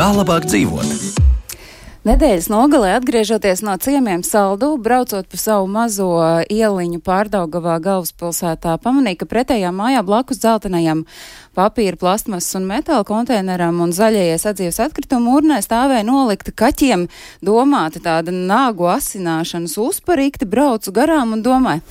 Kā labāk dzīvot? Nedēļas nogalē, atgriežoties no ciemiemiem Saldu, braucot pa savu mazo ieliņu Pārdaugavā galvaspilsētā, pamanīja, ka pretējā mājā blakus dzeltenajam papīra, plastmasas un metāla konteineram un zaļajai sadzīves atkritumu urnē stāvēja nolikta kaķiem domāta tāda nāgu asināšanas uzparīkti, braucu garām un domāju,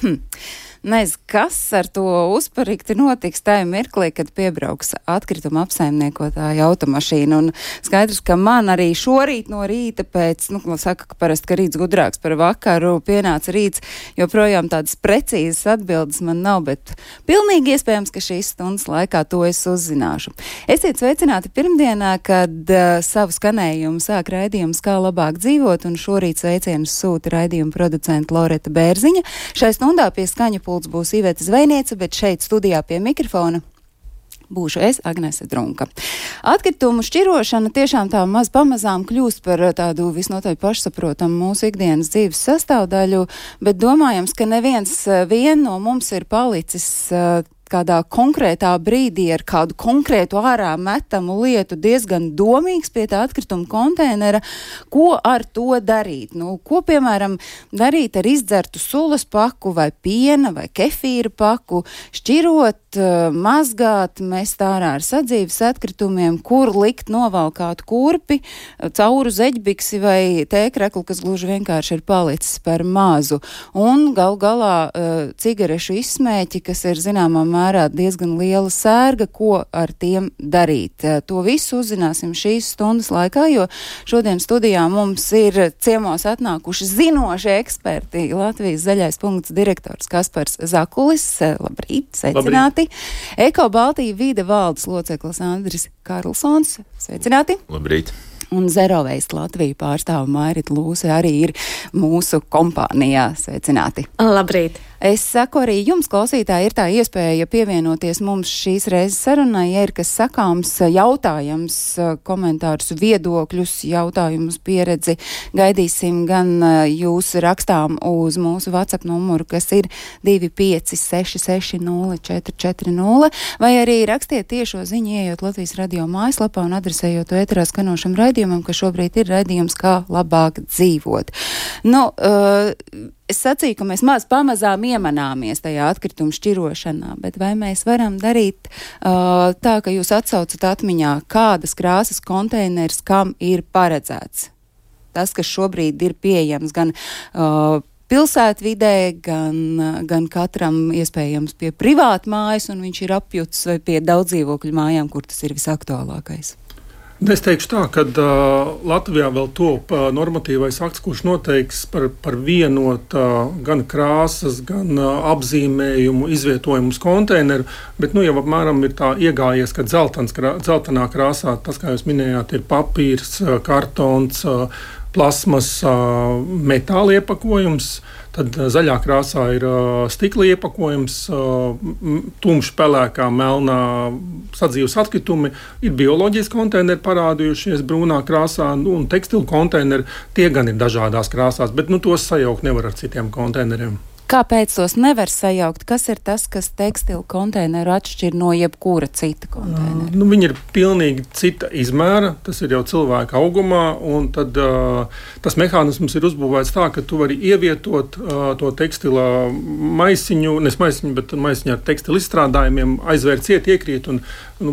nezinu, kas ar to uzparīkti notiks tajā mirklī, kad piebrauks atkrituma apsaimniekotāja automašīna. Un skaidrs, ka man arī šorīt no rīta pēc, saka, ka parasti, ka rīts gudrāks par vakaru, pienāca rīts, joprojām tādas precīzas atbildes man nav, bet pilnīgi iespējams, ka šīs stundas laikā to es uzzināšu. Esiet sveicināti pirmdienā, kad savu skanējumu sāk raidījums Kā labāk dzīvot, un šorīt sveicienus sūta raidījuma producenta Loreta Bērziņa. Šai stundā pie skaņa pults būs Iveta Zvejniece, bet šeit studijā pie mikrofona būšu es, Agnese Drunka. Atkritumu šķirošana tiešām tā maz pamazām kļūst par tādu visnotaļ pašsaprotamu mūsu ikdienas dzīves sastāvdaļu, bet domājams, ka neviens vien no mums ir palicis kādā konkrētā brīdī ar kādu konkrētu ārā metamu lietu diezgan domīgs pie tā atkrituma konteinera, ko ar to darīt. Ko, piemēram, darīt ar izdzertu sulas paku vai piena vai kefīra paku, šķirot, mazgāt, mest ārā ar sadzīves atkritumiem, kur likt novalkāt kurpi, cauru zeķbiksi vai tēkreklu, kas gluži vienkārši ir palicis par mazu. Un gal galā cigarešu izsmēķi, kas ir zināmā mērā diezgan liela sērga, ko ar tiem darīt. To visu uzzināsim šīs stundas laikā, jo šodien studijā mums ir ciemos atnākuši zinoši eksperti. Latvijas Zaļais punkts direktors Kaspars Zakulis. Labrīt, sveicināti. Eko Baltija vide valdes loceklis Andris Karlsons. Sveicināti. Labrīt. Un Zero Waste Latviju pārstāva Mairita Lūse arī ir mūsu kompānijā. Sveicināti. Labrīt. Es saku arī jums, klausītāji, ir tā iespēja pievienoties mums šīs reizes sarunai, ja ir kas sakāms, jautājums, komentārus, viedokļus, jautājumus, pieredzi. Gaidīsim gan jūs rakstām uz mūsu WhatsApp numuru, kas ir 256604440, vai arī rakstiet tiešo ziņu, ejot Latvijas radio mājaslapā un adresējot to ēterā skanošam raidījumam, ka šobrīd ir raidījums Kā labāk dzīvot. Es sacīju, ka mēs pamazām iemanāmies tajā atkritumu šķirošanā, bet vai mēs varam darīt tā, ka jūs atsaucat atmiņā, kādas krāsas konteiners kam ir paredzēts? Tas, kas šobrīd ir pieejams gan pilsētvidē, gan katram iespējams pie privāta mājas, un viņš ir apjuts, vai pie daudzdzīvokļu mājām, kur tas ir visaktuālākais. Es teikšu tā, ka Latvijā vēl top normatīvais akts, kurš noteiks par vienota gan krāsas, gan apzīmējumu izvietojumus konteineru, bet jau apmēram ir tā iegājies, ka dzeltenā krāsā, tas, kā jūs minējāt, ir papīrs, kartons, plasmas, metāla iepakojums. Tad zaļā krāsā ir stikla iepakojums, tumši pelēkā, melnā sadzīves atkritumi, ir bioloģijas konteineri parādījušies brūnā krāsā, un tekstilu konteineri, tie gan ir dažādās krāsās, bet tos sajaukt nevar ar citiem konteineriem. Kāpēc tos nevar sajaukt? Kas ir tas, kas tekstilu konteineru atšķir no jebkura cita konteineru? Viņi ir pilnīgi cita izmēra, tas ir jau cilvēka augumā, un tad tas mehānisms ir uzbūvēts tā, ka tu vari ievietot to tekstila maisiņu, bet maisiņu ar tekstilu izstrādājumiem, aizvērt ciet, iekrīt un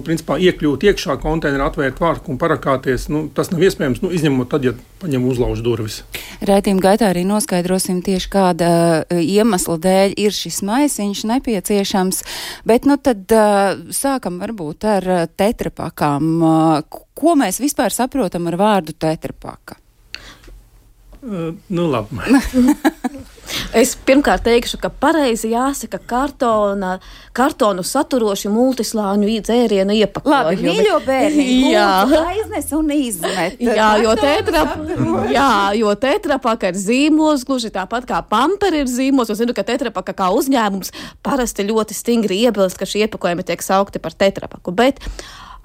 principā iekļūt iekšā konteineru, atvērt vārku un parakāties. Tas nav iespējams, izņemot tad, ja paņem uzlauž durvis. Raidījuma gaitā arī noskaidrosim tieši kāda iemesla dēļ ir šis maisiņš nepieciešams, bet tad sākam varbūt ar tetrapakām. Ko mēs vispār saprotam ar vārdu tetrapaka? Labi. Es pirmkārt teikšu, ka pareizi jāsaka kartonu saturoši multislāņu dzērienu iepakojumi. Labi, mīļo bērni, aiznes un izmet. Jo tetrapaka ir zīmols, gluži tāpat kā pamperi ir zīmols. Es zinu, ka tetrapaka kā uzņēmums parasti ļoti stingri iebilst, ka šie iepakojumi tiek saukti par tetrapaku. Bet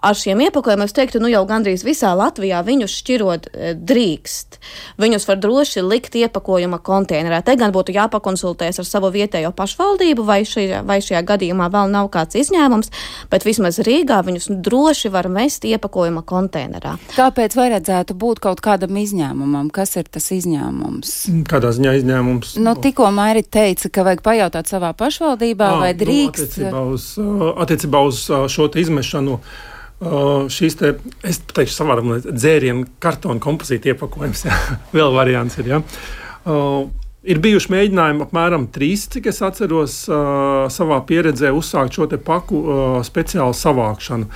ar šiem iepakojumiem, es teiktu, jau gandrīz visā Latvijā viņus šķirot drīkst. Viņus var droši likt iepakojuma konteinerā. Te gan būtu jāpakonsultēs ar savu vietējo pašvaldību, vai šajā gadījumā vēl nav kāds izņēmums, bet vismaz Rīgā viņus droši var mest iepakojuma konteinerā. Kāpēc vajadzētu būt kaut kādam izņēmumam? Kas ir tas izņēmums? Kādā ziņā izņēmums? Tikko Mairi teica, ka vajag pajautāt savā pašvaldībā, vai drīkst. Attiecībā uz šo te izmešanu. Šīs te, es teikšu savādam, dzērienu kartona kompozīta iepakojums, jā. Vēl variants ir, jā. Ir bijuši mēģinājumi apmēram 3, cik es atceros, savā pieredzē uzsākt šo te paku speciālu savākšanu.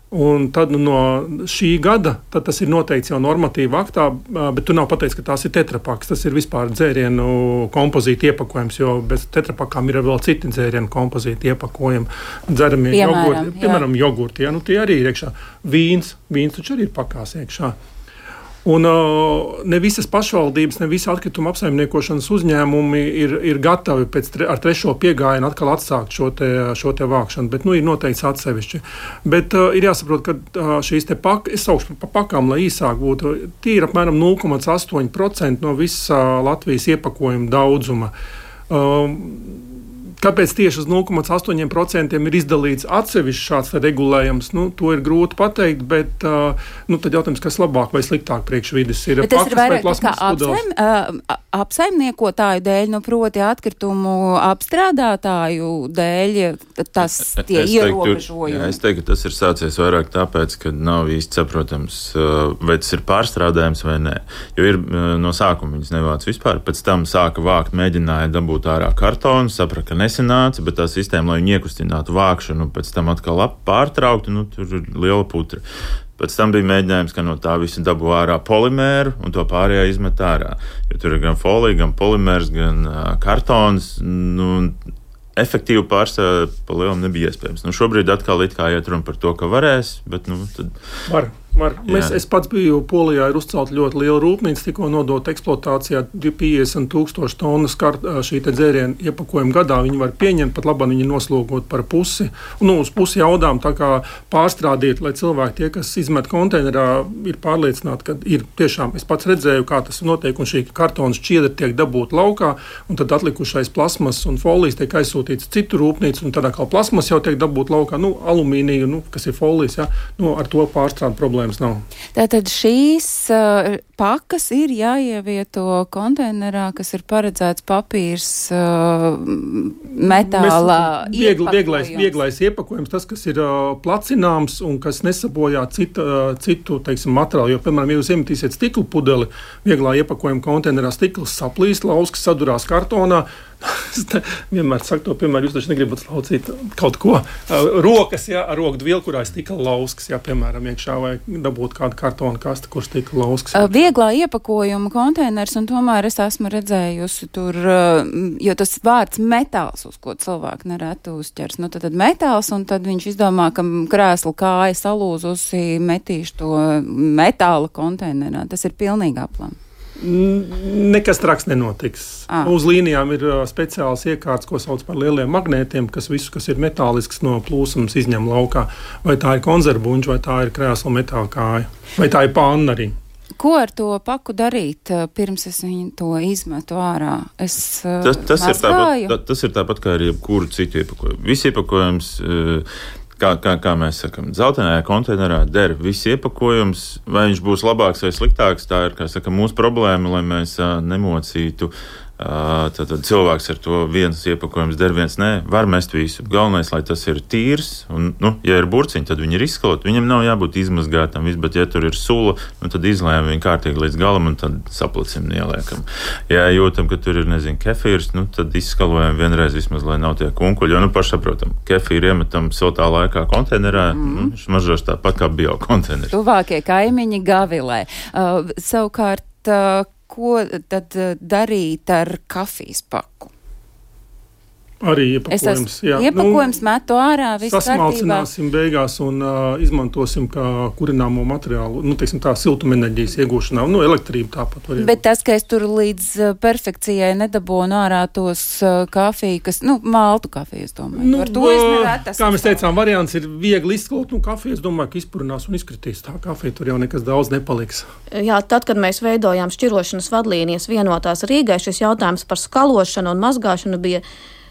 Un tad no šī gada, tad tas ir noteikts jau normatīva aktā, bet tu nav pateicis, ka tās ir tetrapaks. Tas ir vispār dzērienu kompozīta iepakojums, jo bez tetrapakām ir vēl citi dzērienu kompozīta iepakojumi. Dzeramie jogurti, piemēram, jogurti, jā, tie arī ir iekšā. Vīns taču arī ir pakās iekšā. Un ne visas pašvaldības, ne visi atkrituma apsaimniekošanas uzņēmumi ir gatavi ar 3. piegājienu atkal atsākt šo te vākšanu, bet ir noteikts atsevišķi. Bet ir jāsaprot, ka šīs te es saukšu pa pakām, lai īsāk būtu, tie ir apmēram 0,8% no visa Latvijas iepakojuma daudzuma. Kāpēc tieši uz 0,8% ir izdalīts atsevišķs šāds regulējums? To ir grūti pateikt, bet tad jautājums, kas labāk vai sliktāk priekš vides ir. Bet tas ir vairāk kā apsaimniekotāju dēļ, proti atkritumu apstrādātāju dēļ, tie ierobežojumi. Es teiktu, ka tas ir sācies vairāk tāpēc, ka nav īsti saprotams, vai tas ir pārstrādājums vai nē. Jo ir no sākuma viņas nevāc vispār, pēc tam sāka vākt, mēģināja dabūt ārā kartonu, saprata, ka nesanāca, bet tā sistēma, lai viņi iekustinātu vākšanu, pēc tam atkal pārtrauktu, tur ir liela putra. Pēc tam bija mēģinājums, ka no tā visa dabū ārā polimēru un to pārējā izmet ārā. Jo tur ir gan folija, gan polimērs, gan kartons. Efektīvi pārstrādāt pa lielam nebija iespējams. Šobrīd atkal it kā iet runa par to, ka varēs, bet tad... Var. Es pats biju Polijā, ir uzcelt ļoti liela rūpnīca, tikko nodot eksploatācijā 50,000 tonnas šī te dzērienu iepakojumu gadā. Viņi var pieņemt, pat labāk viņi noslogot par pusi. Uz pusi jaudām tā kā pārstrādīt, lai cilvēki tie, kas izmet konteinerā, ir pārliecināti, ka ir tiešām, es pats redzēju, kā tas notiek, un šī kartona šķiedra tiek dabūta laukā, un tad atlikušais plasmas un folijas tiek aizsūtīts citu rūpnīcu, un tad atkal plasmas jau tiek dabūta laukā, alumīniju, kas ir folijas, ja, ar to pārstrādu problēmas nav. Tātad šīs pakas ir jāievieto konteinerā, kas ir paredzēts papīrs, metāla iepakojums. Vieglais iepakojums, tas, kas ir placināms un kas nesabojā citu materiālu. Jo, piemēram, ja jūs iemetīsiet stiklu pudeli vieglā iepakojuma konteinerā, stikls saplīst, lauskas sadurās kartonā. Es vienmēr saku to, piemēram, jūs taču negribat slaucīt kaut ko. Rokas, jā, ar roku dvielu, kurā ir stikla lauskas, jā, piemēram, iekšā, vai dabūt kādu kartonu kastu, kur stikla lauskas. Vieglā iepakojuma konteiners, un tomēr es esmu redzējusi tur, jo tas vārds metāls, uz ko cilvēki nereti uzķers. Tad metāls, un tad viņš izdomā, ka krēsla kāja salūzusi, metīšu to metāla konteinerā. Tas ir pilnīgi aplam. Nekas traks nenotiks. Uz līnijām ir speciāls iekārts, ko sauc par lieliem magnētiem, kas visu, kas ir metālisks, no plūsums izņem laukā. Vai tā ir konzervuņš, vai tā ir krēsla metāla kāja, vai tā ir panna arī. Ko ar to paku darīt, pirms es viņu to izmetu ārā? Tas ir tāpat kā ar jebkuru citu iepakojumu. Visi iepakojums... Kā mēs sakam, dzeltenajā konteinerā der viss iepakojums, vai viņš būs labāks vai sliktāks, tā ir, kā saka, mūsu problēma, lai mēs nemocītu. Tad cilvēks ar to viens iepakojums der, viens nē, var mest visu. Galvenais, lai tas ir tīrs, un, ja ir burciņi, tad viņi ir izskalot. Viņam nav jābūt izmazgātam, bet ja tur ir sula, tad izlējam viņu kārtīgi līdz galam un tad saplicim ieliekam. Ja jūtam, ka tur ir, kefīrs, tad izskalojam vienreiz vismaz, lai nav tie kunkuļi, jo, pašsaprotam, kefīru iemetam siltā laikā konteinerā, viņš mažoš tāpat kā biokonteineris. Tuvākie kaimiņi Gavilē. Savukārt, ko tad darīt ar kafijas paku? Arī iepakojums. Iepakojums metu ārā, viss sasmalcināsim beigās un izmantosim kā kurināmo materiālu, teiksim tā, siltumenerģijas iegūšanā, elektrību tāpat var iegūt. Bet tas, ka es tur līdz perfekcijai nedabūnu ārā tos kafiju, kas, maltu kafiju, es domāju. Ar to es nevētu. Kā mēs teicām, variants ir viegli izsklot, kafiju, es domāju, ka izpurinās un izkritīs. Tā kafija tur jau nekas daudz nepaliks. Jā, tad, kad mēs veidojām šķirošanas vadlīnijas vienotās Rīgai, šis jautājums par skalošanu un mazgāšanu bija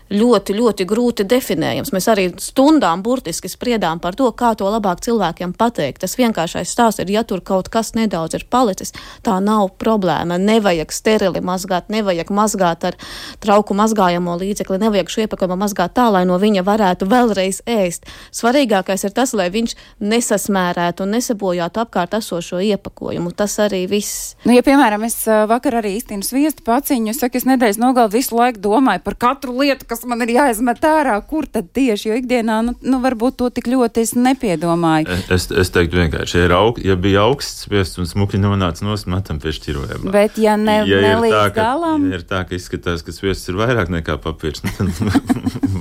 ļoti, ļoti grūti definējams. Mēs arī stundām burtiski spriedām par to, kā to labāk cilvēkiem pateikt. Tas vienkāršais stāsts ir, ja tur kaut kas nedaudz ir palicis, tā nav problēma. Nevajag sterili mazgāt, nevajag mazgāt ar trauku mazgājamo līdzekli, nevajag šo iepakojumu mazgāt tā, lai no viņa varētu vēlreiz ēst. Svarīgākais ir tas, lai viņš nesasmērētu un nesabojātu apkārt esošo iepakojumu. Tas arī viss. Ja, piemēram, es vakar arī īstinu sviestu paciņu, es saku, es nedēļas nogali visu laiku domāju par katru lietu, kas man ir jāizmet ārā, kur tad tieši, jo ikdienā, varbūt to tik ļoti es nepiedomāju. Es teiktu vienkārši, ja bija augsts sviests un smuki nonāca nost, metam pie šķirojumā. Bet ja nelīdz galam... Ja ir tā, ka izskatās, ka sviests ir vairāk nekā papīrs, tad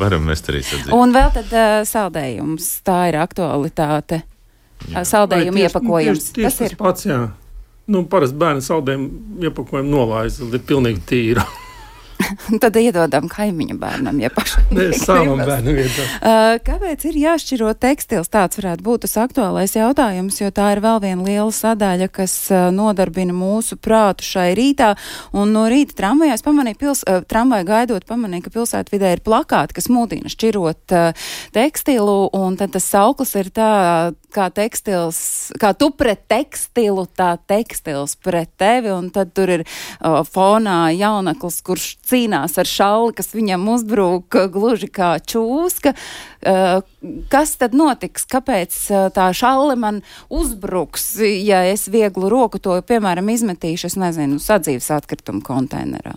varam mest arī sadzīt. Un vēl tad saldējums, tā ir aktualitāte. Saldējumu iepakojums. Tas ir pats, jā. Parasti bērni saldējumu iepakojumu nolaiza, ir pilnīgi tīra. Tad iedodam kaimiņu bērnam, ja pašam. Savam bērnam iedodam. Kāpēc ir jāšķiro tekstils? Tāds varētu būt tas aktuālais jautājums, jo tā ir vēl viena liela sadaļa, kas nodarbina mūsu prātu šai rītā. Un no rīta tramvajā tramvaju gaidot pamanīja, ka pilsētvidē ir plakāti, kas mudina šķirot tekstilu, un tad tas sauklis ir tā, kā tekstils, kā tu pret tekstilu, tā tekstils pret tevi, un tad tur ir fonā jauneklis, kurš cīnās ar šalli, kas viņam uzbrūk gluži kā čūska. Kas tad notiks? Kāpēc tā šalle man uzbruks, ja es vieglu roku to, piemēram, izmetīšu, es nezinu, sadzīves atkritumu konteinerā?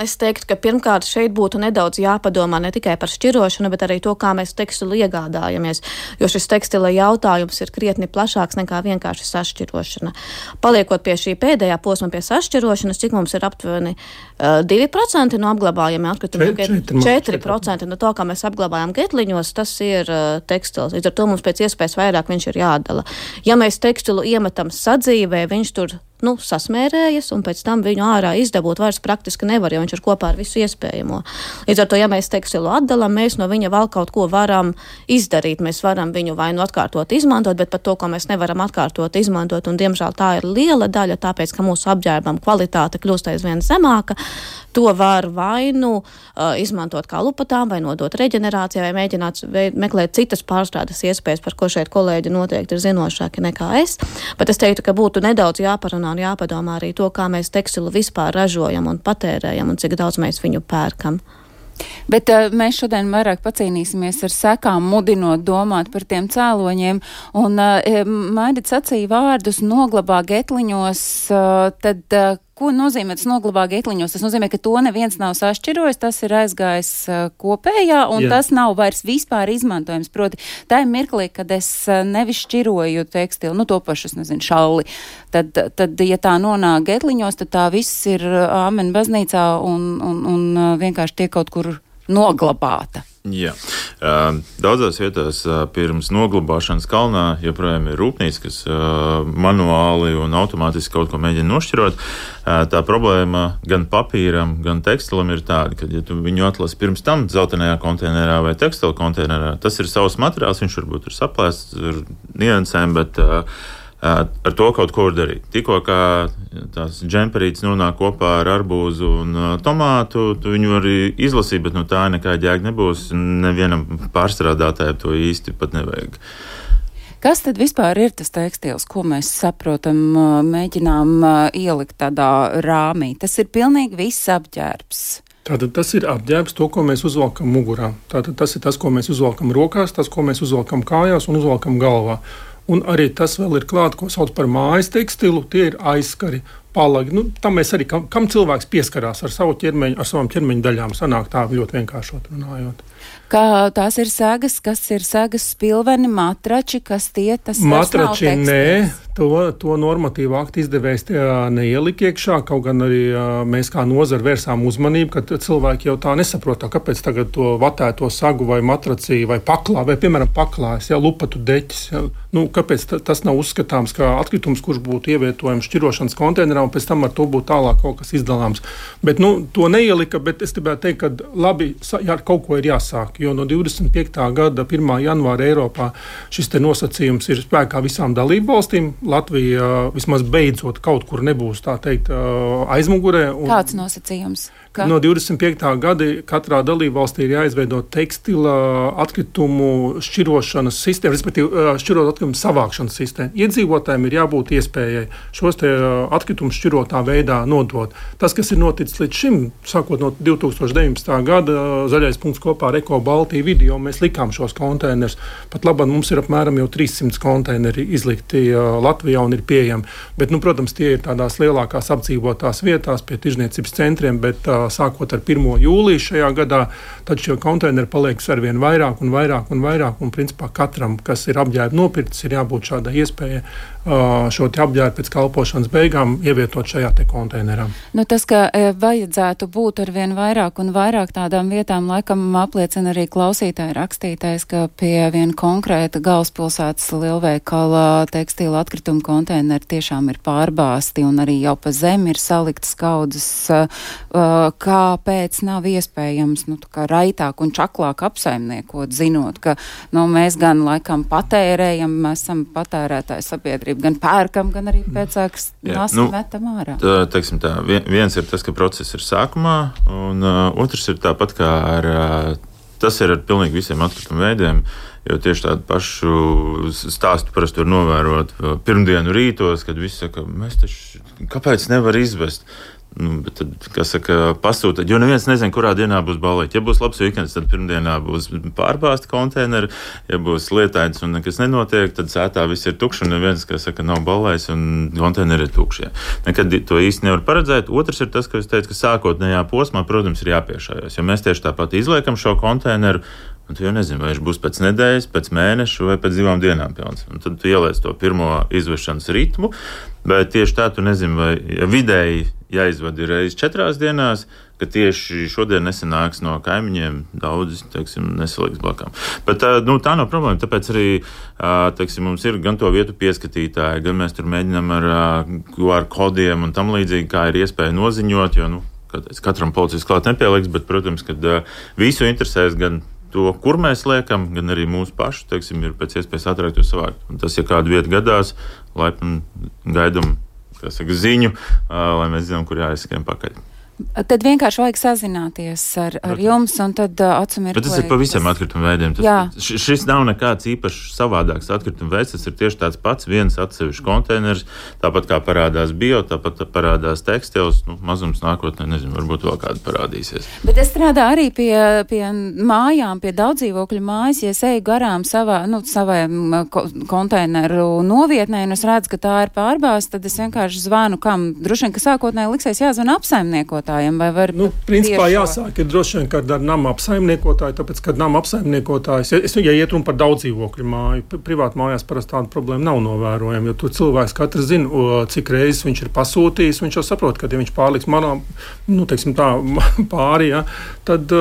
Es teiktu, ka pirmkārt šeit būtu nedaudz jāpadomā ne tikai par šķirošanu, bet arī to, kā mēs tekstilu iegādājamies, jo šis tekstila jautājums ir krietni plašāks nekā vienkārši sašķirošana. Paliekot pie šī pēdējā posma, pie sašķirošanas, cik mums ir aptuveni 2% no apglabājumiem atkritumiem, 4% no to, kā mēs apglabājam getliņos, tas ir tekstils. Līdz ar to mums pēc iespējas vairāk viņš ir jādala. Ja mēs tekstilu iemetam sadzīvē, viņš tur sasmērējas, un pēc tam viņu ārā izdabūt vairs praktiski nevar, jo viņš ir kopā ar visu iespējamo. Līdz ar to, ja mēs tekstilu atdalam, mēs no viņa vēl kaut ko varam izdarīt. Mēs varam viņu vai nu atkārtot izmantot, bet par to, ko mēs nevaram atkārtot izmantot, un diemžēl tā ir liela daļa, tāpēc, ka mūsu apģērbam kvalitāte kļūst aizvien zemāka, to var vai nu izmantot kā lupatām, vai nodot reģenerācijai, vai mēģināt meklēt citas pārstrādes iespējas, par ko šeit kolēģi noteikti ir zinošāki nekā es. Bet es teiktu, ka būtu nedaudz jāparunā un jāpadomā arī to, kā mēs tekstilu vispār ražojam un patērējam un cik daudz mēs viņu pērkam. Bet mēs šodien vairāk pacīnīsimies ar sekām, mudinot domāt par tiem cēloņiem. Un Maidit sacīja vārdus noglabā getliņos, tad ko nozīmē tas noglabā getliņos? Tas nozīmē, ka to neviens nav sašķirojis, tas ir aizgājis kopējā, un tas nav vairs vispār izmantojams. Proti, tā ir mirklī, kad es nevis šķiroju tekstilu, to pašu, es nezinu, šalli. Tad, ja tā nonāk getliņos, tad tā viss ir āmen baznīcā un vienkārši tiek kaut kur noglabāta. Jā. Daudzās vietās pirms noglabāšanas kalnā joprojām ir rūpnīca, kas manuāli un automātiski kaut ko mēģina nošķirot. Tā problēma gan papīram, gan tekstilam ir tāda, ka, ja tu viņu atlasi pirms tam dzeltenajā konteinerā vai tekstila konteinerā, tas ir savs materiāls, viņš varbūt ir saplēsts ar niansēm, bet ar to kaut ko var darīt. Tikko kā tās džemperītes nonāk kopā ar arbūzu un tomātu, tu viņu arī izlasīt, bet tā nekāda jēga nebūs. Nevienam pārstrādātājam to īsti pat nevajag. Kas tad vispār ir tas tekstils, ko mēs saprotam, mēģinām ielikt tādā rāmī? Tas ir pilnīgi viss apģērbs. Tātad tas ir apģērbs, to, ko mēs uzvalkam mugurā. Tātad tas ir tas, ko mēs uzvalkam rokās, tas, ko mēs uzvalkam kājās un uzvalkam galvā. Un arī tas vēl ir klāt, ko sauc par mājas tekstilu, tie ir aizskari, palagi. Tam mēs arī, kam cilvēks pieskarās ar savu ķermeņu, ar savām ķermeņa daļām, sanāk tā ļoti vienkāršot runājot. Kā tās ir segas, kas ir segas spilveni, matrači, kas tie, tas vairs nav tekstils? Nē, To normatīvu aktu izdevējs neielika iekšā, kaut gan arī mēs kā nozara vērsām uzmanību, ka cilvēki jau tā nesaprot, kāpēc tagad to vatēto sagu vai matracī vai piemēram paklājas, lupatu deķis. Kāpēc tas nav uzskatāms kā atkritums, kurš būtu ievietojams šķirošanas konteinerā un pēc tam ar to būtu tālāk kaut kas izdalāms. Bet to neielika, bet es gribētu teikt, ka labi, kaut ko ir jāsāk, jo no 25. gada 1. janvāra Eiropā šis te nosacījums ir spēkā visām dalību valstīm. Latvija vismaz beidzot kaut kur nebūs, tā teikt, aizmugurē. Kāds nosacījums? No 25. gada katrā dalību valstī ir jāizveido tekstila atkritumu šķirošanas sistēma, respektīvi šķirot atkritumu savākšanas sistēma. Iedzīvotājiem ir jābūt iespējai šos te atkritumus šķirotā veidā nodot. Tas, kas ir noticis līdz šim, sākot no 2019. gada, Zaļais punkts kopā ar Eko Baltiju video, mēs likām šos konteinerus. Pat labāk mums ir apmēram jau 300 konteineri izlikti Latvijā un ir pieejami. Bet, protams, tie ir tādās lielākās apdzīvotās vietās pie tirzniecības centriem, bet sākot ar 1. jūliju šajā gadā, tad šie konteineri paliek arvien vairāk un vairāk un vairāk, un principā katram, kas ir apģērbu nopircis, ir jābūt šādai iespēja šo te apģērbu pēc kalpošanas beigām ievietot šajā te konteinerā. Tas, ka vajadzētu būt arvien vairāk un vairāk tādām vietām, laikam apliecina arī klausītāji rakstītais, ka pie viena konkrēta galvaspilsētas lielveikala tekstila atkrituma konteineri tiešām ir pārbāsti un arī jau pa zemi ir saliktas kaudzes. Kāpēc nav iespējams raitāk un čaklāk apsaimniekot, zinot, ka mēs gan laikam patērējam, mēs esam patērētāju sabiedrība, gan pērkam, gan arī pēcāks metam ārā. Teiksim tā, viens ir tas, ka process ir sākumā, un otrs ir tāpat kā tas ir ar pilnīgi visiem atkritumu veidiem, jo tieši tādu pašu stāstu parasti var novērot pirmdienu rītos, kad visi saka, kāpēc nevar izvest? Bet tad, kas saka, pasūtīt, jo neviens nezina, kurā dienā būs ballīte. Ja būs labs vikends, tad pirmdienā būs pārbāzti konteineri, ja būs lietains un nekas nenotiek, tad sētā viss ir tukšs un neviens, kas saka, nav ballējis un konteineri ir tukšie. Nekad to īsti nevar paredzēt. Otrs ir tas, ka es teicu, ka sākotnējā posmā, protams, ir jāpiešājās, jo mēs tieši tāpat izliekam šo konteineru, un tu jau nezini, vai viņš būs pēc nedēļas, pēc mēneša vai pēc 2 dienām pilns. Un tad tu ieliec to pirmo izvešanas ritmu, bet tieši tā tu nezini, vai vidēji jāizvada reizi 4 dienās, ka tieši šodien nesanāks no kaimiņiem daudz, nesaliks blakām. Bet tā nav problēma, tāpēc arī, mums ir gan to vietu pieskatītāji, gan mēs tur mēģinām ar QR kodiem un tam līdzīgi, kā ir iespēja noziņot, jo, katram policijas klāt nepieliks, bet, protams, kad visu interesēs gan to, kur mēs liekam, gan arī mūsu pašu, ir pēc iespējas ātrāk to savākt. Un tas, ja kādu vietu gadās, laipni gaidam, ziņu, lai mēs zinām, kur jāizskrien pakaļ. Tad vienkārši vajag sazināties ar jums, un tad atsumirklēt. Bet tas ir pa visiem atkritumu veidiem. Šis nav nekāds īpašs savādāks atkritumu veids, tas ir tieši tāds pats, viens atsevišķs konteiners, tāpat kā parādās bio, tāpat parādās tekstils, mazums nākotnē, nezinu, varbūt vēl kāda parādīsies. Bet es strādāju arī pie mājām, pie daudzdzīvokļu mājas, ja es eju garām savai konteineru novietnē, un es redzu, ka tā ir pārbāzta, tad es vienkārši zvanu, kam droši vien, ka sākotnēji liksies jāzvan apsaimniekotājiem. Principā jāsāk ir droši vien, kad ar nama apsaimniekotāju, tāpēc, kad nama apsaimniekotājs, ja iet runa par daudzdzīvokļu māju, privātu mājās parasti tāda problēma nav novērojama, jo tur cilvēks katrs zina, cik reizes viņš ir pasūtījis, viņš jau saprot, ka ja viņš pārliks manā, pāri, tad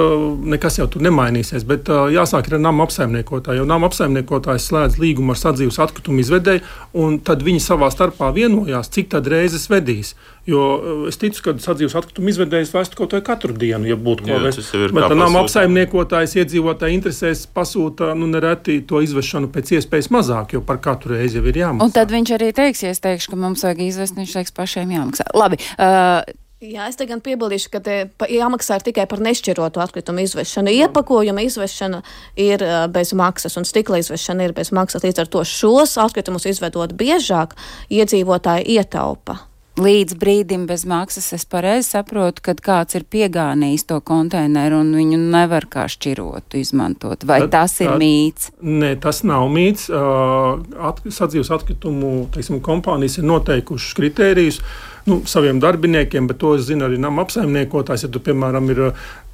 nekas jau tur nemainīsies, bet jāsāk ir ar nama apsaimniekotāju, jo nama apsaimniekotājs slēdz līgumu ar sadzīves atkritumu izvedēju, un tad viņi savā starpā vienojās, cik tad reizes vedīs. Jo es ticu, ka sadzīves atkritumu izvedējs vestu kaut vai katru dienu, ja būtu ko vest. Bet nama apsaimniekotājs iedzīvotāji interesēs pasūta, nereti to izvešanu pēc iespējas mazāk, jo par katru reizi jau ir jāmaksā. Un tad viņš arī teiks, ja es teikšu, ka mums vajag izvest, viņš teiks pašiem jāmaksā. Labi. Jā, es te gan piebildīšu, ka jāmaksā tikai par nešķirotu atkritumu izvešanu. Iepakojuma izvešana ir bez maksas un stikla izvešana ir bez maksas. Līdz ar to šos atkritumus izvedot biežāk, iedzīvotāji ietaupa. Līdz brīdim bez maksas es pareizi saprotu, kad kāds ir piegānījis to konteineru un viņu nevar kā šķirotu izmantot. Vai tas ir mīts? Nē, tas nav mīts. Sadzīves atkritumu kompānijas ir noteikušas kritērijus saviem darbiniekiem, bet to es zinu arī nama apsaimniekotājs. Ja tu, piemēram, ir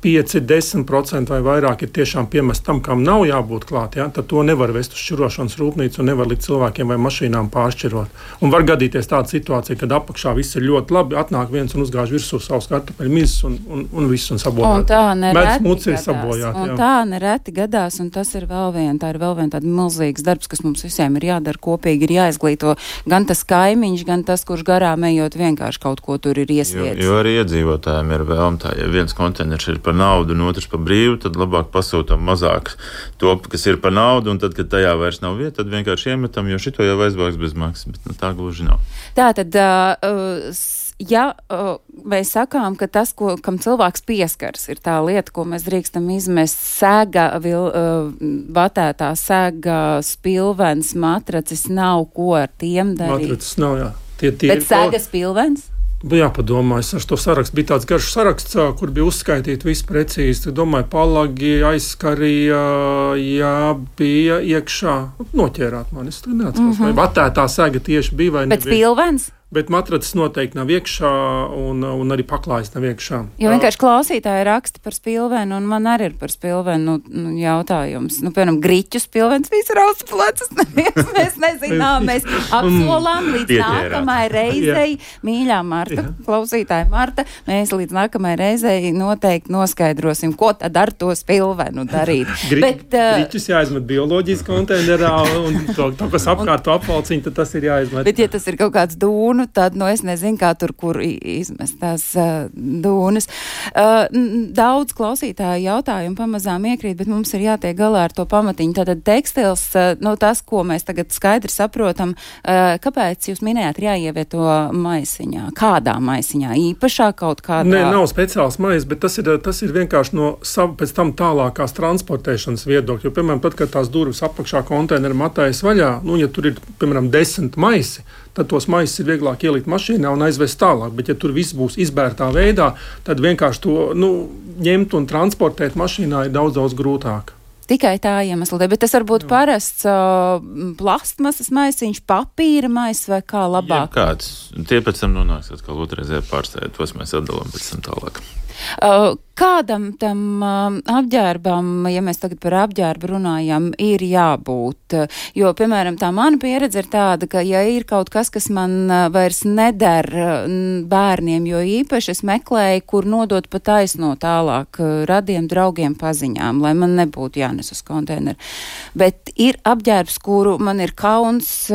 5-10% vai vairāk ir tiešām piemest tam, kam nav jābūt klāt, tad to nevar vest uz šķirošanas rūpnīcu un nevar likt cilvēkiem vai mašīnām pāršķirot. Un var gadīties tāda situācija, kad apakšā viss ir ļoti labi, atnāk viens un uzgāž virsū savus kartupeļu mizas un viss un sabojāt. Un tā nereti sabojāt, un tā nereti gadās, un tas ir vēl viena tāda milzīgs darbs, kas mums visiem ir jādara kopīgi, ir jāizglīto gan tas kaimiņš, gan tas, kurš garām ejot vienkārši kaut ko tur ir iesviedis. Jo arī iedzīvotājiem ir vēlme tā, ja viens konteiners ir par naudu un otrs par brīvu, tad labāk pasūtam mazāk to, kas ir par naudu, un tad, kad tajā vairs nav vieta, tad vienkārši iemetam, jo šito jau aizvāks bez maksas, bet tā gluži nav. Tātad, ja mēs sakām, ka tas, kam cilvēks pieskars, ir tā lieta, ko mēs drīkstam izmest, sēga, batētā sēga, spilvens, matracis, nav ko ar tiem darīt. Matracis nav, jā. Bet sēga spilvens? Jāpadomā, es ar to sarakstu. Bija tāds garš saraksts, kur bija uzskaitīti viss precīzi. Domāju, palagi, aizskarīja, bija iekšā. Noķērāt mani, es neatceros. Vai batētā sēga tieši bija vai nebija. Bet spilvens? Bet matracis noteikti nav iekšā un arī paklājas nav iekšā. Jo vienkārši klausītāji raksta par spilvenu, un man arī ir par spilvenu jautājums. Piemēram, griķu spilvens, visi rausta plecas, mēs nezinām, mēs apsolām līdz nākamai reizei. Mīļā Marta, klausītāja Marta, mēs līdz nākamai reizei noteikti noskaidrosim, ko tad ar to spilvenu darīt. Griķus jāizmet bioloģijas konteinerā, un to, kas apkārt to apvalciņu, tad tas ir jāizmet. Bet ja tas ir kaut kāds dūnu, tad, es nezinu, kā kur izmest tās dūnas. Daudz klausītāju jautājumu pamazām iekrīt, bet mums ir jātiek galā ar to pamatiņu. Tātad tekstils, tas, ko mēs tagad skaidri saprotam, kāpēc jūs minējāt, ir jāievieto maisiņā? Kādā maisiņā? Īpašā kaut kādā? Nē, nav speciāls mais, bet tas ir vienkārši no pēc tam tālākās transportēšanas viedokļa. Jo, piemēram, tad, kad tās durvis apakšā konteineru matājas vaļā, ja tur ir, piemēram, 10 maisi, tad tos maisus ir vieglāk ielikt mašīnā un aizvest tālāk. Bet, ja tur viss būs izbērtā veidā, tad vienkārši to ņemt un transportēt mašīnā ir daudz grūtāk. Tikai tā iemesla, bet tas var būt parasts plastmasas maisiņš, papīra mais vai kā labāk? Jā, kāds. Tie pēc tam nonāks atkal otrreizē pārstāvē, tos mēs atdalām pēc tam tālāk. Kādam tam apģērbam, ja mēs tagad par apģērbu runājam, ir jābūt? Jo, piemēram, tā mana pieredze ir tāda, ka ja ir kaut kas, kas man vairs neder bērniem, jo īpaši es meklēju, kur nodot pa taisno tālāk radiem, draugiem, paziņām, lai man nebūtu jānes uz konteineru. Bet ir apģērbs, kuru man ir kauns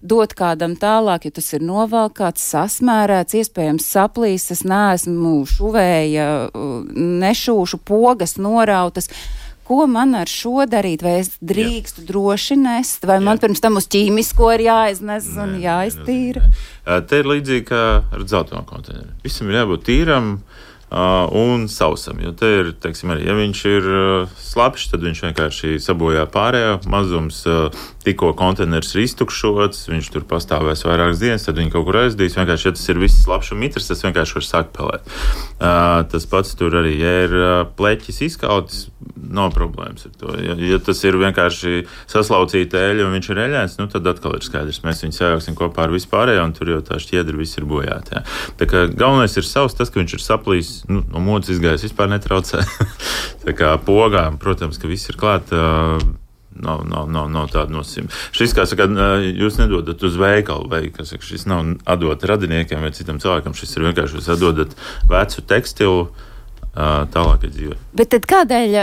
dot kādam tālāk, jo tas ir novalkāts, sasmērēts, iespējams saplīs, es neesmu šuvēja, nešūšu, pogas norautas. Ko man ar šo darīt? Vai es drīkstu droši nest? Vai man pirms tam uz ķīmisko ir jāiznes un jāiztīra? Te ir līdzīgi kā ar dzelteno konteineru. Visam ir jābūt tīram un sausam, jo te ir, teiksim, arī, ja viņš ir slapjš, tad viņš vienkārši sabojā pārējo mazums, tikko konteiners ir iztukšots, viņš tur pastāvēs vairākas dienas, tad viņi kaut kur aizdīs, vienkārši, ja tas ir viss slapjš un mitrs, tas vienkārši var sākt pelēt. Tas pats tur arī, ja ir pleķis izkautis, nav problēmas ar to. Ja tas ir vienkārši saslaucīta eļa un viņš ir eļains, tad atkal ir skaidrs, mēs viņu sajauksim kopā ar vispārējo, un tur jau tā šķiedra viss ir bojāta. Tā kā galvenais ir savs, tas, ka viņš ir saplīs, no modes izgājis vispār netraucē. Tā kā pogām, protams, ka viss ir klāt, nav tāda nosacījuma. Šis, kā saka, jūs nedodat uz veikalu, vai, kā saka, šis nav atdot radiniekiem vai citam cilvēkam, šis ir vienkārši jūs atdodat vecu tekstilu, tālākai dzīvē. Bet tad kādēļ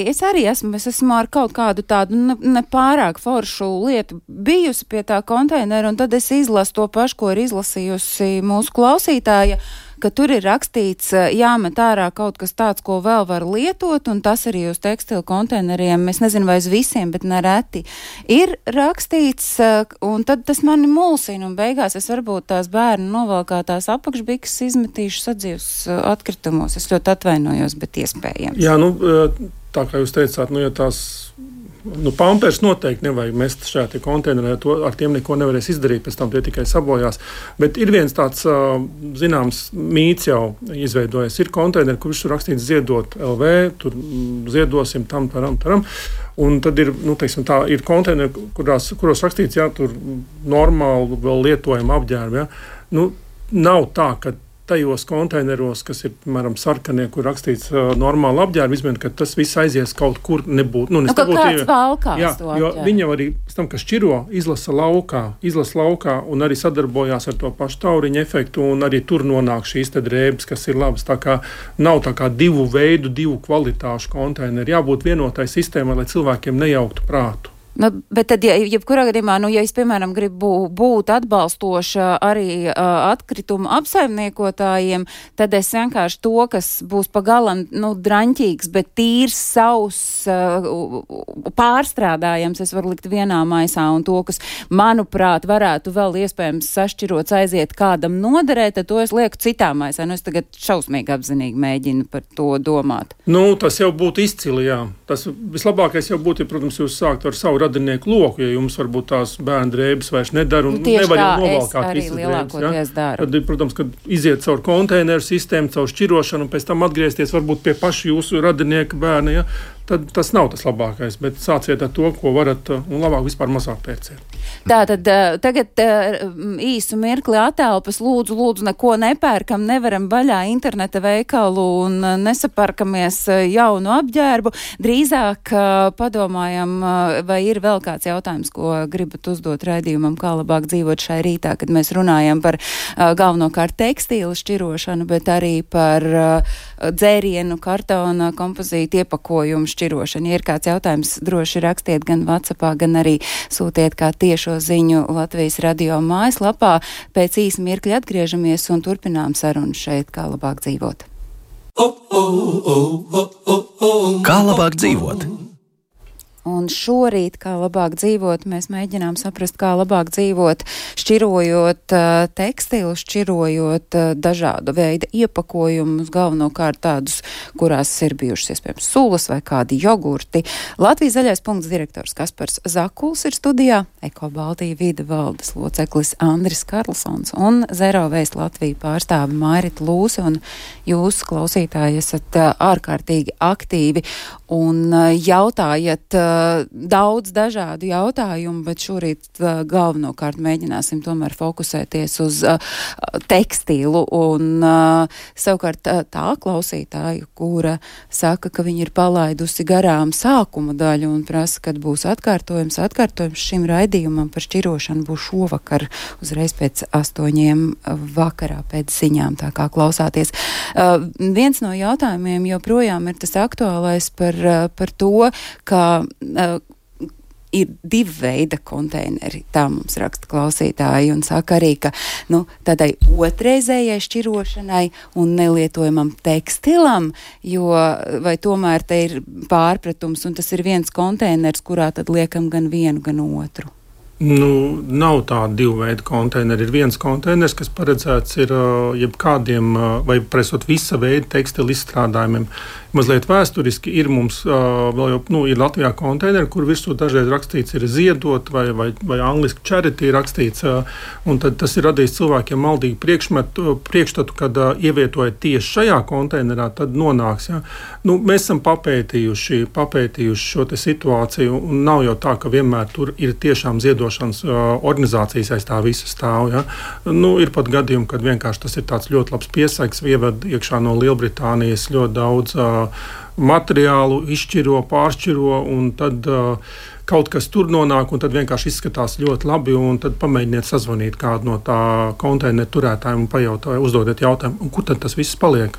es esmu ar kaut kādu tādu nepārāk foršu lietu bijusi pie tā konteinera, un tad es izlasu to pašu, ko ir izlasījusi mūsu klausītāja, ka tur ir rakstīts, jāmet ārā kaut kas tāds, ko vēl var lietot, un tas arī uz tekstilu konteineriem, es nezinu, vai uz visiem, bet nereti ir rakstīts, un tad tas mani mulsina, un beigās es varbūt tās bērnu novalkātās apakšbikas izmetīšu sadzīves atkritumos. Es ļoti atvainojos, bet iespējams. Jā, tā kā jūs teicāt, ja tās pampers noteikti nevajag mest šajā konteinerā, ar tiem neko nevarēs izdarīt, pēc tam tie tikai sabojās. Bet ir viens tāds, zināms, mīts jau izveidojies. Ir konteineri, kur viss ir rakstīts ziedot LV, tur ziedosim tam. Un tad ir, ir konteineri, kuros rakstīts, tur normāli vēl lietojam apģērbu. Nav tā, ka tajos konteineros, kas ir, piemēram, sarkanie, kur rakstīts normāli apģērbi, izmēr, ka tas viss aizies kaut kur nebūt. Kāds valkās jā, to jo apģērbu? viņi jau arī, pēc tam, kas šķiro, izlasa laukā un arī sadarbojās ar to pašu tauriņu efektu, un arī tur nonāk šīs te drēbes, kas ir labas. Tā kā nav tā kā divu veidu, divu kvalitāšu konteineri. Jābūt vienotai sistēmai, lai cilvēkiem nejauktu prātu. Bet tad, jebkurā gadījumā, ja es, piemēram, gribu būt atbalstoša arī atkritumu apsaimniekotājiem, tad es vienkārši to, kas būs pagalam, draņķīgs, bet tīrs, savs, pārstrādājams, es varu likt vienā maisā, un to, kas, manuprāt, varētu vēl iespējams sašķirots aiziet kādam noderēt, tad to es lieku citā maisā. Es tagad šausmīgi apzinīgi mēģinu par to domāt. Tas jau būtu izcili, jā. Tas vislabākais jau būtu, ja, protams, jūs sāktu ar savu radinieku loku, ja jums varbūt tās bērnu drēbes vairs nedara un nevar jau novalkāt visas drēbes. Ja? Tad, protams, kad iziet caur konteineru sistēmu, caur šķirošanu un pēc tam atgriezties varbūt pie paša jūsu radinieka bērna, ja? Tad tas nav tas labākais, bet sāciet ar to, ko varat, un labāk vispār mazāk pērciet. Tātad tagad īsu mirkli atelpas, lūdzu, neko nepērkam, nevaram vaļā interneta veikalu un nesaparkamies jaunu apģērbu. Drīzāk padomājam, vai ir vēl kāds jautājums, ko gribat uzdot raidījumam, kā labāk dzīvot šai rītā, kad mēs runājam par galvenokārt tekstīlu šķirošanu, bet arī par dzērienu, kartona, kompozītu iepakojumu šķirošanu. Ja ir kāds jautājums, droši rakstiet gan WhatsAppā, gan arī sūtiet kā tiešo ziņu Latvijas radio mājaslapā. Pēc īsa mirkļa atgriežamies un turpinām sarunu šeit, kā labāk dzīvot. Kā labāk dzīvot? Un šorīt, kā labāk dzīvot, mēs mēģinām saprast, kā labāk dzīvot, šķirojot tekstilu, šķirojot dažādu veidu iepakojumus, galvenokārt tādus, kurās ir bijušas iespējams sulas vai kādi jogurti. Latvijas zaļais punkts direktors Kaspars Zakuls ir studijā, Eko Baltija vide valdes loceklis Andris Karlsons un Zero Waste Latvija pārstāve Mairita Lūse, un jūs, klausītāji, esat ārkārtīgi aktīvi un jautājat daudz dažādu jautājumu, bet šorīt galvenokārt mēģināsim tomēr fokusēties uz tekstilu un savukārt tā klausītāju, kura saka, ka viņi ir palaidusi garām sākuma daļu un prasa, kad būs atkārtojums. Atkārtojums šim raidījumam par šķirošanu būs šovakar, uzreiz pēc 8 vakarā pēc ziņām, tā kā klausāties. Viens no jautājumiem joprojām ir tas aktuālais par to, ka ir divi veida konteineri, tā mums raksta klausītāji, un saka arī, ka tādai otrreizējai šķirošanai un nelietojamam tekstilam, jo vai tomēr te ir pārpratums, un tas ir viens konteiners, kurā tad liekam gan vienu, gan otru. Nav tāda divu veidu konteineri. Ir viens konteiners, kas paredzēts ir jebkādiem vai presot visa veida tekstilu izstrādājumiem. Mazliet vēsturiski ir mums vēl jau, ir Latvijā konteineri, kur virsū dažreiz rakstīts ir ziedot vai angliski charity rakstīts, un tad tas ir radījis cilvēkiem maldīgu priekšstatu, kad ievietojot tieši šajā konteinerā, tad nonāks. Ja? Mēs esam papētījuši šo te situāciju, un nav jau tā, ka vienmēr tur ir tiešām ziedošanas organizācijas aiz tā visa stāv. Ja? Ir pat gadījumi, kad vienkārši tas ir tāds ļoti labs piesaiks, ieved iekšā no Lielbritānijas ļoti daudz materiālu, izšķiro, pāršķiro, un tad kaut kas tur nonāk, un tad vienkārši izskatās ļoti labi, un tad pamēģiniet sazvanīt kādu no tā konteineru turētājiem un pajautāt, uzdodiet jautājumu, un kur tad tas viss paliek?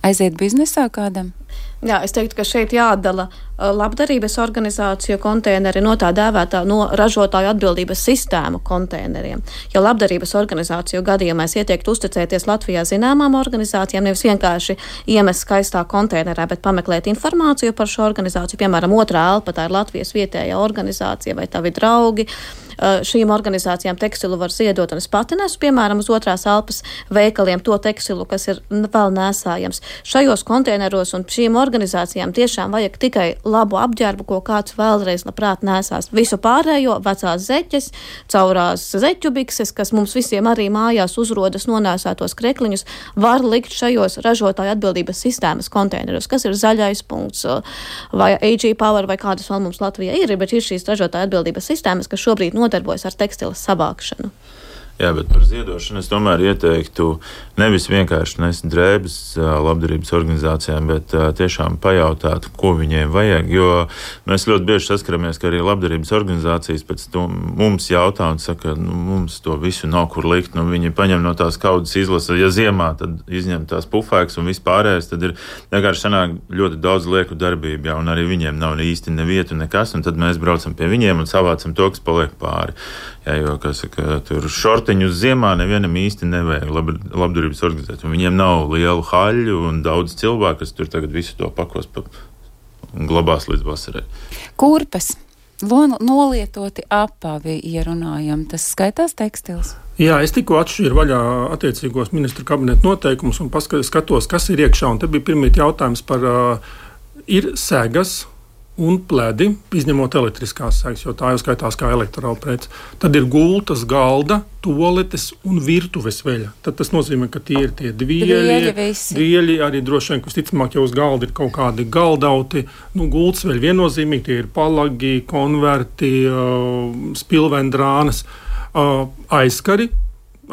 Aiziet biznesā kādam? Jā, es teiktu, ka šeit jādala labdarības organizāciju konteineri no tā dēvētā no ražotāju atbildības sistēmu konteineriem. Ja labdarības organizāciju gadījumā es ieteiktu uzticēties Latvijā zināmām organizācijām, nevis vienkārši iemest skaistā konteinerā, bet pameklēt informāciju par šo organizāciju. Piemēram, Otrā elpa, tā ir Latvijas vietējā organizācija vai tavi draugi. Šīm organizācijām tekstilu var ziedot, un es pati nesu, piemēram, uz Otrās elpas veikaliem to tekstilu, kas ir vēl nēsājams. Šajos konteineros un šīm organizācijām tiešām vajag tikai labu apģērbu, ko kāds vēlreiz labprāt nēsās. Visu pārējo, vecās zeķes, caurās zeķu bikses, kas mums visiem arī mājās uzrodas nonēsētos krekliņus, var likt šajos ražotāju atbildības sistēmas konteineros, kas ir zaļais punkts vai AG Power vai kādas vēl mums Latvijā ir, bet ir šīs ražotāju atbildības sistēmas, kas šobrīd nodarbojas ar tekstilas savākšanu. Jā, bet par ziedošanu es tomēr ieteiktu nevis vienkārši nest drēbes labdarības organizācijām, bet tiešām pajautāt, ko viņiem vajag, jo mēs ļoti bieži saskaramies, ka arī labdarības organizācijas pēc to mums jautā un saka, mums to visu nav kur likt, viņi paņem no tās kaudzes izlasa, ja ziemā, tad izņem tās pufēks un vispārējais, tad ir vienkārši sanāk ļoti daudz lieku darbību, jā, un arī viņiem nav īsti nevietu nekas, un tad mēs braucam pie viņiem un savācam to, kas paliek pāri. Jā, jo, kā saka, tur šortiņus ziemā nevienam īsti nevajag labdarības organizēt. Viņiem nav lielu haļu un daudz cilvēku, kas tur tagad visu to pakos un glabās līdz vasarai. Kurpes, nolietoti apavi, ja runājam, tas skaitās tekstils? Jā, es tikko atšķīru vaļā attiecīgos ministru kabineta noteikumus un skatos, kas ir iekšā. Un te bija pirmīt jautājums par ir segas un pledi, izņemot elektriskās segas, jo tā jau skaitās kā elektorāla prece. Tad ir gultas, galda, toaletes un virtuves veļa. Tad tas nozīmē, ka tie ir tie dvieļi, arī droši vien, ka visticamāk, ja uz galda ir kaut kādi galdauti, gultas veļa viennozīmīgi, tie ir palagi, konverti, spilvendrānas, aizskari,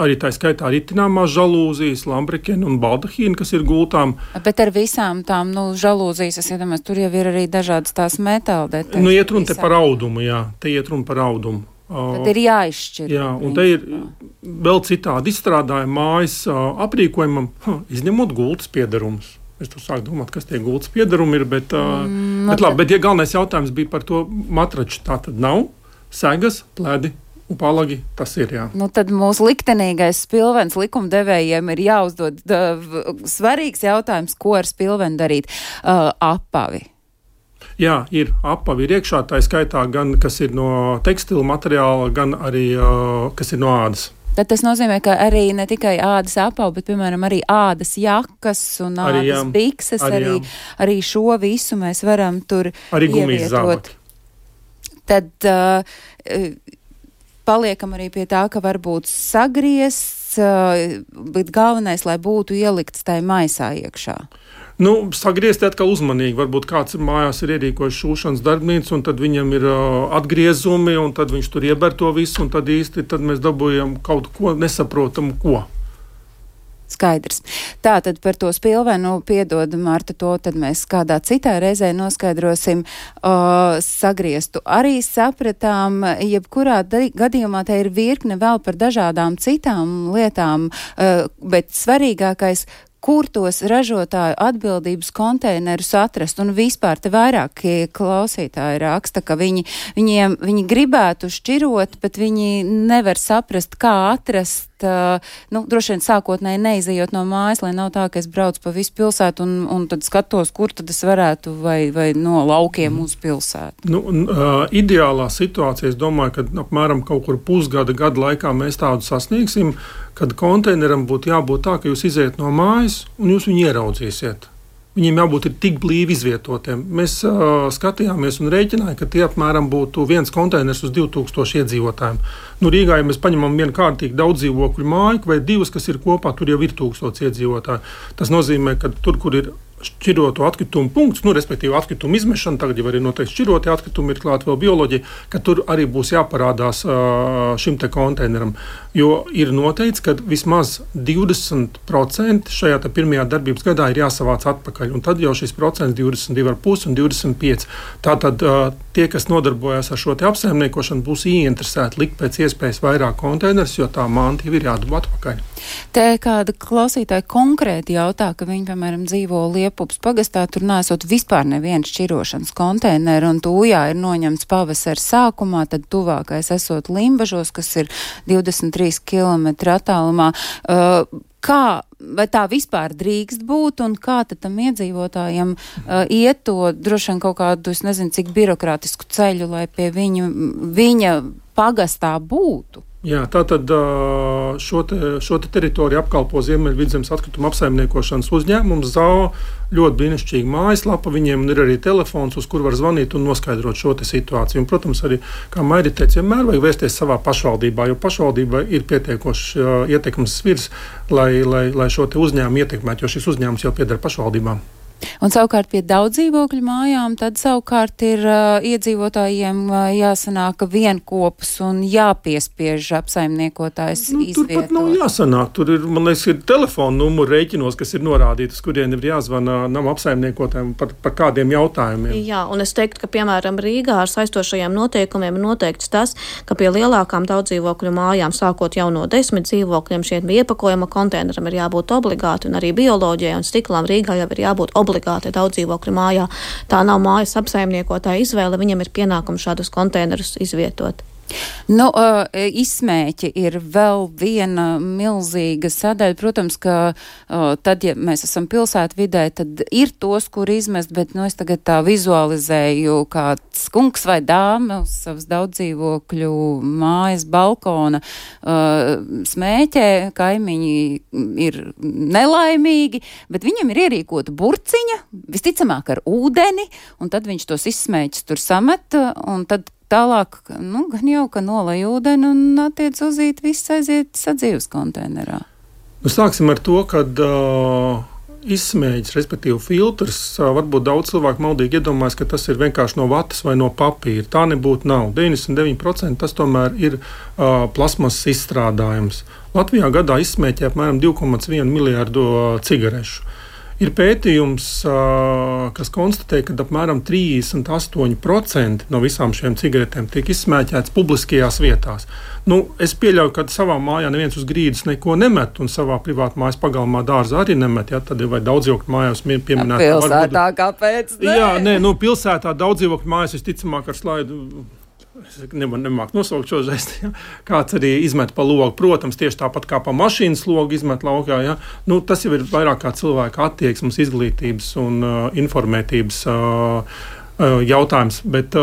arī tā skaitā ritināmās žalūzijas, lambrekeni un baldahīni, kas ir gultām. Bet ar visām tām žalūzijas, es iedomājos, tur jau ir arī dažādas tās metāla detaļas. Iet runa te par audumu, jā, te iet runa par audumu. Tad ir jāizšķir. Jā, un te ir vēl citādi izstrādājumi mājas aprīkojumam, izņemot gultas piedarumus. Es tur sāku domāt, kas tie gultas piedarumi ir, bet ja galvenais jautājums bija par to matraču, tā tad nav, segas, pledi, un palagi, tas ir, jā. Tad mūsu liktenīgais spilvens likumdevējiem ir jāuzdod svarīgs jautājums, ko ar spilvenu darīt. Apavi. Jā, ir apavi ir iekšā, tā skaitā gan, kas ir no tekstila materiāla, gan arī, kas ir no ādas. Tad tas nozīmē, ka arī ne tikai ādas apavi, bet, piemēram, arī ādas jakas un ādas bikses, arī šo visu mēs varam tur arī gumijas zābaki. Tad paliekam arī pie tā, ka varbūt sagriezts, bet galvenais, lai būtu ielikts tai maisā iekšā. Sagriezti atkal uzmanīgi. Varbūt kāds mājās ir ierīkojis šūšanas darbnīcu, un tad viņam ir atgriezumi, un tad viņš tur ieber to visu, un tad mēs dabūjam kaut ko nesaprotamu, ko. Skaidrs. Tātad par to spilvenu, piedod, Marta, to tad mēs kādā citā reizē noskaidrosim. Sagrieztu arī sapratām, jebkurā gadījumā te ir virkne vēl par dažādām citām lietām, bet svarīgākais, kur tos ražotāju atbildības konteinerus atrast, un vispār te vairākie klausītāji raksta, ka viņi gribētu šķirot, bet viņi nevar saprast, kā atrast, droši vien sākotnēji neizejot no mājas, lai nav tā, ka es braucu pa visu pilsētu un tad skatos, kur tad es varētu vai no laukiem uz pilsētu. Ideālā situācija, es domāju, ka apmēram kaut kur pusgada, gada laikā mēs tādu sasniegsim, kad konteineram būtu jābūt tā, ka jūs iziet no mājas un jūs viņu ieraudzīsiet. Viņiem jābūt tik blīvi izvietotiem. Mēs skatījāmies un rēķinājām, ka tie apmēram būtu viens konteiners uz 2000 iedzīvotājiem. Rīgā, ja mēs paņemam vienu kārtīgi daudz dzīvokļu māju vai divas, kas ir kopā, tur jau ir 1000 iedzīvotāji. Tas nozīmē, ka tur, kur ir šķiroto atkritumu punkts, respektīvi atkritumu izmešana, tagad jau arī noteikti šķirotie atkritumi ir klāt vēl bioloģija, ka tur arī būs jāparādās šim te konteineram. Jo ir noteikts, ka vismaz 20% šajā pirmajā darbības gadā ir jāsavāc atpakaļ, un tad jau šis procents 22,5 un 25. Tātad tie, kas nodarbojas ar šo te apsaimniekošanu, būs ieinteresēti likt pēc iespējas vairāk konteinerus, jo tā manta jau ir jādabū atpakaļ. Te kāda klausītāja konkrēti jautā, ka viņi, piemēram, dzīvo Liepupas pagastā, tur nesot vispār nevienu šķirošanas konteineru, un Tūjā ir noņemts pavasara sākumā, tad tuvākais esot Limbažos, kas ir 23 km attālumā. Vai tā vispār drīkst būt, un kā tad tam iedzīvotājiem iet to droši vien kaut kādu, es nezinu, cik birokrātisku ceļu, lai pie viņa pagastā būtu? Jā, tātad šo te teritoriju apkalpo Ziemeļvidzemes atkrituma apsaimniekošanas uzņēmums ZAO. Ļoti brīnišķīga mājaslapa, viņiem ir arī telefons, uz kur var zvanīt un noskaidrot šo te situāciju. Un, protams, arī, kā Mairi teica, vienmēr vajag vērsties savā pašvaldībā, jo pašvaldība ir pietiekoši ietekmes svirs, lai šo te uzņēmumu ietekmētu, jo šis uzņēmums jau pieder pašvaldībām. Un savukārt pie daudz dzīvokļu mājām, tad savukārt ir iedzīvotājiem jāsanāk vienkopus un jāpiespiež apsaimniekotājs izvietot. Turpat nav jāsanāk. Tur ir, man liekas, ir telefona numuru rēķinos, kas ir norādīti, uz kuriem ir jāzvana nama apsaimniekotājiem par kādiem jautājumiem. Jā, un es teiktu, ka, piemēram, Rīgā ar saistošajiem noteikumiem ir noteikts tas, ka pie lielākām daudz dzīvokļu mājām, sākot jau no 10 dzīvokļiem, šiem iepakojuma konteineram ir jābūt obligāti, un arī bioloģijai un stiklām Rīgā jau ir jābūt obligāti daudz dzīvokļu mājā. Tā nav mājas apsaimniekotāja izvēle, viņam ir pienākums šādus konteinerus izvietot. Nu, izsmēķi ir vēl viena milzīga sadaļa. Protams, ka tad, ja mēs esam pilsētvidē, tad ir tos, kur izmest, bet es tagad tā vizualizēju, kāds kungs vai dāma uz savas daudzdzīvokļu mājas balkona smēķē, kaimiņi ir nelaimīgi, bet viņam ir ierīkota burciņa, visticamāk ar ūdeni, un tad viņš tos izsmēķus tur samet, un tad tālāk, gan jau, ka nolai ūdeni un attiec uzīt, viss aiziet sadzīves konteinerā. Sāksim ar to, kad izsmēķis, respektīvi filtrs, varbūt daudz cilvēku maldīgi iedomājas, ka tas ir vienkārši no vatas vai no papīra. Tā nebūtu nav. 99% tas tomēr ir plasmasas izstrādājums. Latvijā gadā izsmēķē apmēram 2,1 miljārdu cigarešu. Ir pētījums, kas konstatē, ka apmēram 38% no visām šiem cigaretēm tiek izsmēķētas publiskajās vietās. Es pieļauju, ka savā mājā neviens uz grīdas neko nemet, un savā privātā mājas pagalmā dārza arī nemet. Ja? Tad ir vai daudzdzīvokļu mājās pieminēta. Pilsētā kāpēc? Jā, pilsētā daudzdzīvokļu mājas visticamāk ar slaidu. Es nemāku nosaukt šo žestu. Ja? Kāds arī izmet pa logu. Protams, tieši tāpat kā pa mašīnas logu izmet laukā. Ja? Tas jau ir vairāk kā cilvēka attieksmes, izglītības un informētības jautājums. Bet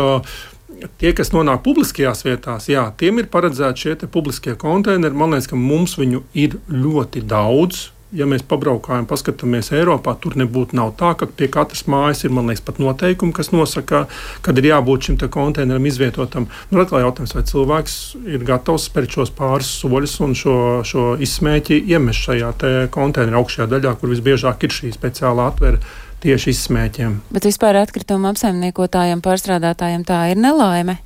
tie, kas nonāk publiskajās vietās, tiem ir paredzēti šie publiskie konteineri. Man liekas, ka mums viņu ir ļoti daudz. Ja mēs pabraukājam, paskatāmies Eiropā, tur nebūtu nav tā, ka pie katras mājas ir, man liekas, pat noteikumi, kas nosaka, kad ir jābūt šim te konteineram izvietotam. Atkal jautājums, vai cilvēks ir gatavs spērt šos pāris soļus un šo izsmēķi iemest šajā te konteineru augšējā daļā, kur visbiežāk ir šī speciālā atvera tieši izsmēķiem. Bet vispār atkrituma apsaimniekotājiem, pārstrādātājiem tā ir nelaime?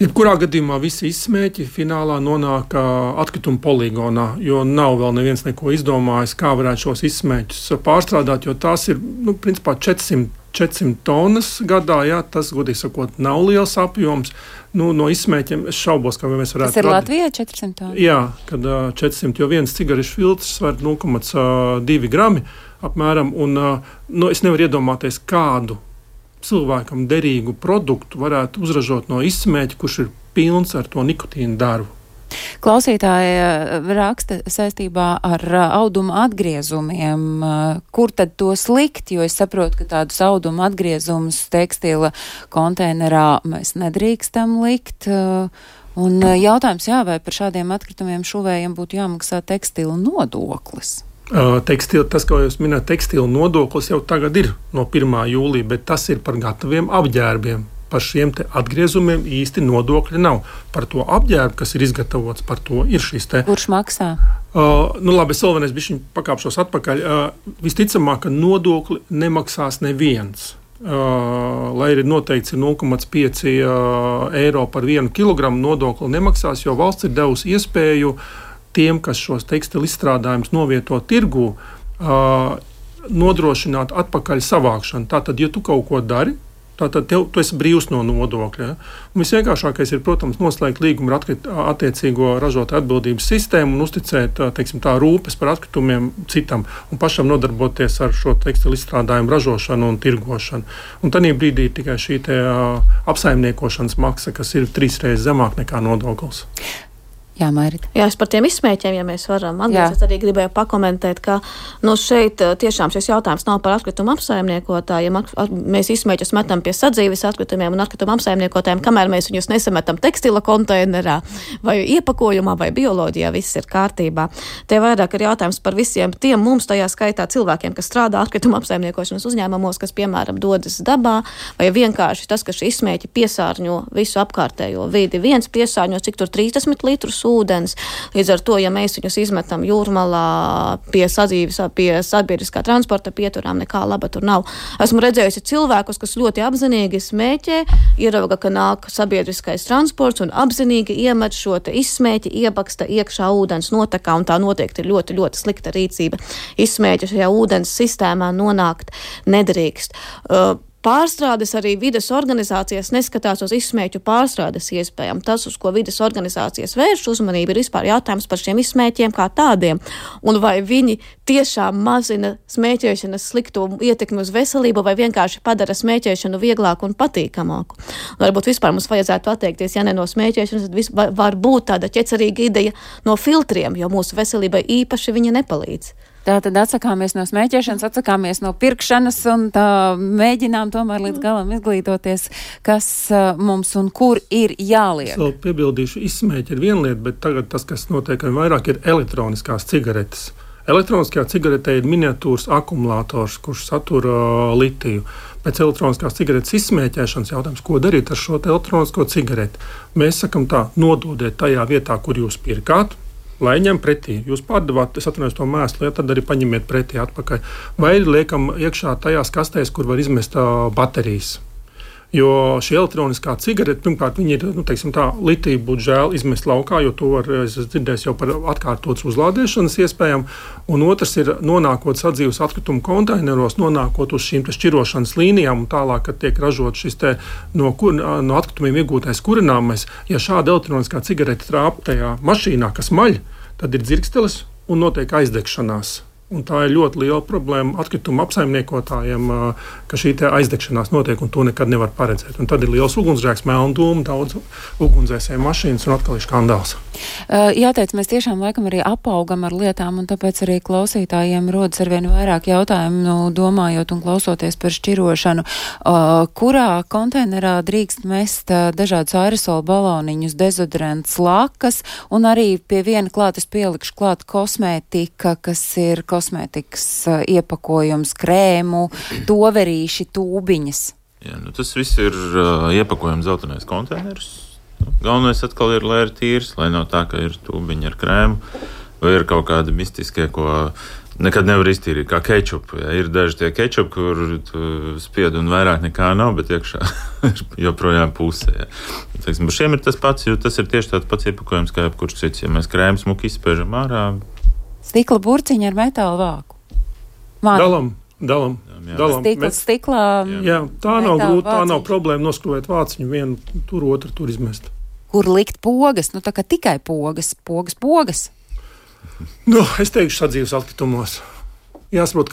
Jebkurā gadījumā visi izsmēķi finālā nonāk atkrituma poligonā, jo nav vēl neviens neko izdomājis, kā varētu šos izsmēķus pārstrādāt, jo tās ir, principā 400 tonnas gadā, tas, godīgi sakot, nav liels apjoms. No izsmēķiem es šaubos, kā mēs varētu. Tas ir Latvijā 400 tonnas? Jā, kad 400, jo viens cigarešu filtrs sver 0,2 grami apmēram, un es nevaru iedomāties kādu cilvēkam derīgu produktu varētu uzražot no izsmēķa, kurš ir pilns ar to nikotīnu darbu. Klausītāja raksta saistībā ar auduma atgriezumiem, kur tad tos likt, jo es saprotu, ka tādus auduma atgriezumus tekstila konteinerā mēs nedrīkstam likt. Un jautājums, vai par šādiem atkritumiem šuvējiem būtu jāmaksā tekstila nodoklis? Tas, ko jūs minējat, tekstila nodoklis jau tagad ir no 1. jūlija, bet tas ir par gataviem apģērbiem. Par šiem te atgriezumiem īsti nodokļi nav. Par to apģērbu, kas ir izgatavots, par to ir šis te. Kurš maksā? Labi, es vēl vienreiz bišķiņ pakāpšos atpakaļ. Visticamāk, ka nodokli nemaksās neviens. Lai ir noteikts 0,5 eiro par 1 kilogramu nodokli nemaksās, jo valsts ir devusi iespēju tiem, kas šos tekstilu izstrādājumus novieto tirgū, nodrošināt atpakaļ savākšanu. Tātad, ja tu kaut ko dari, tātad tu esi brīvs no nodokļa. Ja? Visvienkāršākais ir, protams, noslēgt līgumu ar attiecīgo ražotāju atbildības sistēmu un uzticēt, tā rūpes par atkritumiem citam un pašam nodarboties ar šo tekstilu izstrādājumu ražošanu un tirgošanu. Un tādā brīdī ir tikai šī apsaimniekošanas maksa, kas ir 3 reizes zemāk nekā nodoklis. Jā, Mairita. Jā, es par tiem izsmēķiem, ja mēs varam atgriezties, es arī gribēju pakomentēt, ka šeit tiešām šis jautājums nav par atkritumu apsaimniekotājiem. Mēs izsmēķus metam pie sadzīves atkritumiem un atkritumu apsaimniekotājiem, kamēr mēs viņus nesametam tekstila konteinerā vai iepakojumā vai bioloģijā, viss ir kārtībā. Te vairāk ir jautājums par visiem tiem mums, tajā skaitā cilvēkiem, kas strādā atkritumu apsaimniekošanas uzņēmumos, kas, piemēram, dodas dabā, vai vienkārši tas, ka šī izsmēķi piesārņo visu apkārtējo vidi. Viens piesārņo, cik tur 30 litrus ūdens. Līdz ar to, ja mēs viņus izmetam jūrmalā pie sabiedriskā transporta pieturām, nekā laba tur nav. Esmu redzējusi cilvēkus, kas ļoti apzinīgi smēķē, ierauga, ka nāk sabiedriskais transports un apzinīgi iemet šo te izsmēķi, iebaksta iekšā ūdens notekā, un tā noteikti ir ļoti, ļoti slikta rīcība. Izsmēķi šajā ūdens sistēmā nonākt nedrīkst. Pārstrādes arī vides organizācijas neskatās uz izsmēķu pārstrādes iespējām. Tas, uz ko vides organizācijas vērš uzmanību, ir vispār jautājums par šiem izsmēķiem kā tādiem. Un vai viņi tiešām mazina smēķēšanas slikto ietekmi uz veselību vai vienkārši padara smēķēšanu vieglāku un patīkamāku. Un varbūt vispār mums vajadzētu atteikties, ja ne no smēķēšanas, tad var būt tāda ķecerīga ideja no filtriem, jo mūsu veselībai īpaši viņa nepalīdz. Tātad atsakāmies no smēķēšanas, atsakāmies no pirkšanas un tā mēģinām tomēr līdz galam izglītoties, kas mums un kur ir jāliek. Es vēl piebildīšu, izsmēķi ir viena lieta, bet tagad tas, kas notiek vairāk, ir elektroniskās cigaretes. Elektroniskajā cigaretē ir miniatūrs akumulators, kurš satur litiju. Pēc elektroniskās cigaretes izsmēķēšanas jautājums, ko darīt ar šo elektronisko cigareti? Mēs sakam tā, nododiet tajā vietā, kur jūs pirkāt, lai ņem pretī. Jūs pārdevāt, es atvainojos to mēslu, ja, tad arī paņemiet pretī atpakaļ. Vai liekam iekšā tajās kastēs, kur var izmest baterijas. Jo šī elektroniskā cigarete, pirmkārt, viņi ir, litiju būtu žēl izmest laukā, jo to var, es dzirdēju jau par atkārtotas uzlādēšanas iespējām. Un otrs ir nonākot sadzīves atkritumu konteineros, nonākot uz šīm šķirošanas līnijām un tālāk, kad tiek ražot šis no atkritumiem iegūtais kurināmais. Ja šāda elektroniskā cigarete trāp tajā mašīnā, kas maļ, tad ir dzirkstelis un notiek aizdegšanās. Un tā ir ļoti liela problēma atkritumu apsaimniekotājiem, ka šī aizdegšanās notiek un to nekad nevar paredzēt. Un tad ir liels ugunsgrēks, melna dūma, daudz ugunsdzēsēju mašīnas un atkal ir skandāls. Jāteic, mēs tiešām laikam arī apaugam ar lietām, un tāpēc arī klausītājiem rodas arvien vairāk jautājumu, domājot un klausoties par šķirošanu. Kurā konteinerā drīkst mest dažādus aerosolu baloniņus, dezodorants, lakas, un arī pie viena klāt es pielikšu klāt kosmētika, kas ir kosmētikas iepakojums, krēmu, toverīši, tūbiņas. Jā, tas viss ir iepakojums zeltainais konteineris. Galvenais atkal ir, lai ir tīrs, lai nav tā, ka ir tūbiņi ar krēmu, vai ir kaut kādi mistiskie, ko nekad nevar iztīrīt, kā kečupu. Ja. Ir daži tie kečupi, kur spied un vairāk nekā nav, bet iekšā ir joprojām pusē. Ja. Par šiem ir tas pats, jo tas ir tieši tāds pats iepakojums, kā jebkurš cits. Ja mēs krēmu smuki izspēžam ārā. Stikla burciņa ar metāla vāku. Dalam. Stiklā. Jā, tā nav grūti, tā nav problēma noskrūvēt vāciņu, vienu tur, otru tur izmest. Kur likt pogas? Tā kā tikai pogas. Es teikšu sadzīves atkritumos. Jāsaprot,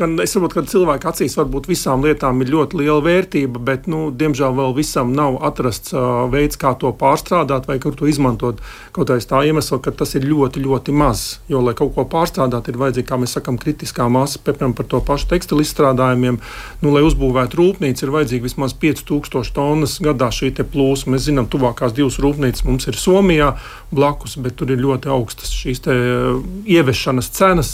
ka cilvēku acīs varbūt visām lietām ir ļoti liela vērtība, bet, diemžēl vēl visam nav atrasts veids, kā to pārstrādāt vai kur to izmantot. Kaut aiz tā iemesla, ka tas ir ļoti, ļoti maz. Jo, lai kaut ko pārstrādāt, ir vajadzīga, kā mēs sakam, kritiskā masa, piemēram, par to pašu tekstilu izstrādājumiem. Lai uzbūvētu rūpnīcu, ir vajadzīga vismaz 5000 tonnas gadā šī te plūsma. Mēs zinām, tuvākās 2 rūpnīcas mums ir Somijā blakus, bet tur ir ļoti augstas šīs te ievešanas cenas.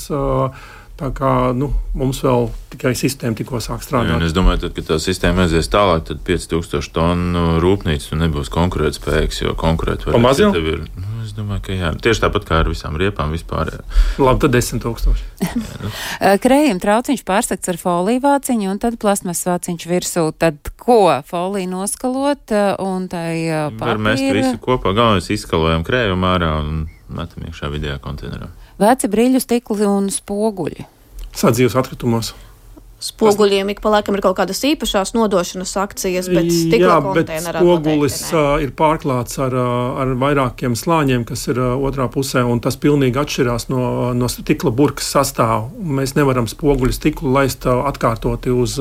Tā kā mums vēl tikai sistēma tikko sāk strādāt. Es domāju, tad, kad tā sistēma aizies tālāk, tad 5000 tonu rūpnīca nebūs konkurētspējīgs, jo konkurēt var pamaz jau? Es domāju, ka jā. Tieši tāpat kā ar visām riepām vispār. Jā. Labi, tad 10 000. Krējuma trauciņš pārsakts ar foliju vāciņu un tad plasmas vāciņš virsū. Tad ko? Foliju noskalot un tai papīra? Var mest visu kopā. Galvenais izskalojam krējumu ārā un metam iekšā vidējā konteinerā. Veci brīļu stikli un spoguļi. Sadzīves atkritumos. Spoguļiem ik pa laikam ir kaut kādas īpašās nodošanas akcijas, bet stikla konteinerā. Jā, bet spogulis ir pārklāts ar vairākiem slāņiem, kas ir otrā pusē, un tas pilnīgi atšķirās no stikla burkas sastāvu. Mēs nevaram spoguļu stiklu laist atkārtoti uz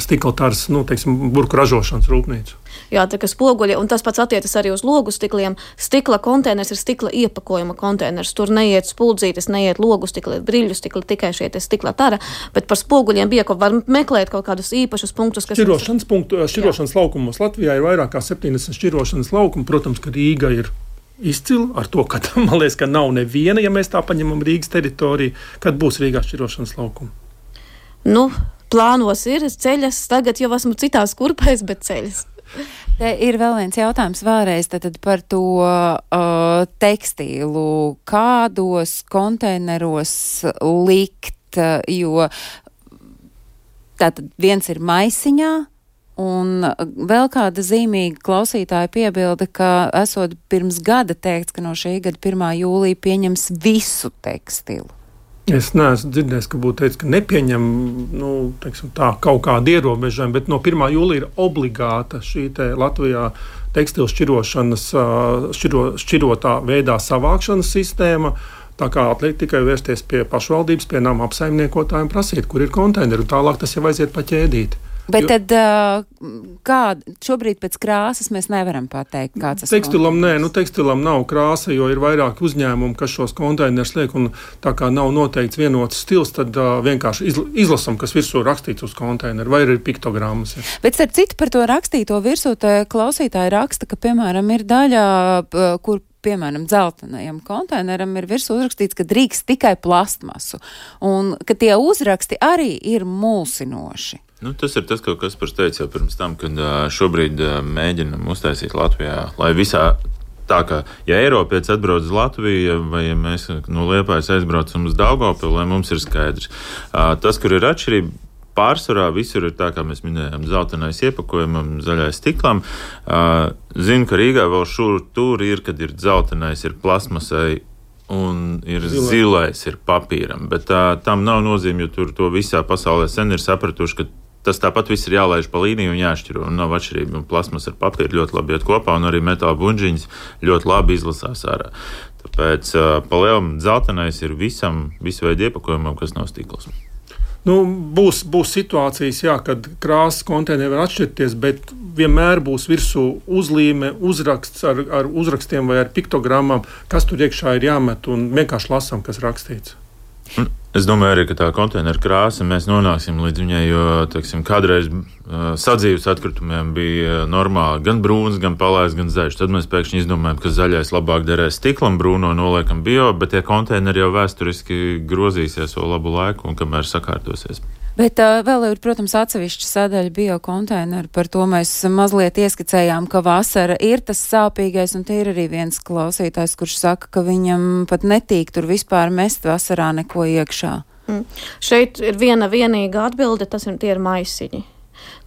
stikla taras, burku ražošanas rūpnīcu. Jā, tā kā spoguļi, un tas pats attiecas arī uz logu stikliem. Stikla konteiners ir stikla iepakojuma konteiners. Tur neiet spuldzītes, neiet logu stikli, brīļu stikli, tikai šie stikla tara. Bet par spoguļiem bija, ko var meklēt kaut kādus īpašus punktus, kas šķirošanas laukumos. Latvijā ir vairāk kā 70 šķirošanas laukumu. Protams, ka Rīga ir izcila ar to, ka man liekas, ka nav neviena, ja mēs tā paņemam Rīgas teritoriju, kad būs Rīgā šķirošanas laukumi. Plānos ir ceļas, tagad jau esmu citās kurpēs, bet ceļas. Te ir vēl viens jautājums vēlreiz tad par to tekstīlu. Kādos konteineros likt, jo tātad viens ir maisiņā, un vēl kāda zīmīga klausītāja piebilda, ka esot pirms gada teikts, ka no šī gada 1. jūlija pieņems visu tekstilu. Es neesmu dzirdējis, ka būtu teicis, ka nepieņem kaut kādu ierobežojumu, bet no 1. jūlija ir obligāta šī Latvijā tekstilu šķirošanas, šķirotā veidā savākšanas sistēma. Tā kā atliek tikai vērsties pie pašvaldības, pie nama apsaimniekotājiem, prasīt, kur ir konteineri, un tālāk tas jau aiziet pa ķēdīti. Bet tad šobrīd pēc krāsas mēs nevaram pateikt, kāds tas tekstilam tekstilam nav krāsa, jo ir vairāki uzņēmumi, kas šos konteinerus liek, un tā kā nav noteikts vienots stils, tad vienkārši izlasam, kas virsū rakstīts uz konteineru, vai ir piktogrammas. Ja. Bet starp citu par to rakstīto virsū, klausītāji raksta, ka, piemēram, ir daļa, kur piemēram, dzeltenajam konteineram ir virsū uzrakstīts, ka drīkst tikai plastmasu, un ka tie uzraksti arī ir mulsinoši. Tas ir tas, ko Kaspars teica jau pirms tam, kad šobrīd mēģinam uztaisīt Latvijā, lai visā tā kā, ja Eiropietis atbrauc uz Latviju, vai ja mēs no Liepājas aizbraucam uz Daugavpili, lai mums ir skaidrs. Tas, kur ir atšķirība, pārsvarā visur ir tā, kā mēs minējām, zeltainais iepakojumam, zaļais stiklam. Zinu, ka Rīgā vēl tur ir, kad ir zeltainais, ir plasmasai, un ir zilais, ir papīram. Bet tam nav nozīme, jo tur to visā pasaulē sen ir sapratuši, ka tas tāpat viss ir jālaiž pa līniju un jāšķiro, un nav atšķirība. Un plasmas ar papīru ļoti labi iet kopā, un arī metāla buņģiņas ļoti labi izlasās ārā. Tāpēc pa lielam zeltainais ir visu veidu iepakojumam, kas nav stikls. Būs situācijas, kad krāsas konteineri var atšķirties, bet vienmēr būs virsū uzlīme, uzraksts ar uzrakstiem vai ar piktogrammām, kas tur iekšā ir jāmet, un vienkārši lasam, kas rakstīts. Es domāju arī, ka tā konteineru krāsa mēs nonāksim līdz viņai, jo, kādreiz sadzīves atkritumiem bija normāli gan brūns, gan palais, gan zaļš. Tad mēs pēkšņi izdomājam, ka zaļais labāk derēs stiklam, brūno noliekam bio, bet tie konteineri jau vēsturiski grozīsies vēl labu laiku un kamēr sakārtosies. Bet vēl ir, protams, atsevišķa sadaļa biokonteineru. Par to mēs mazliet ieskicējām, ka vasara ir tas sāpīgais, un te ir arī viens klausītājs, kurš saka, ka viņam pat netīk tur vispār mest vasarā neko iekšā. Šeit ir vienīga atbilde, tie ir maisiņi.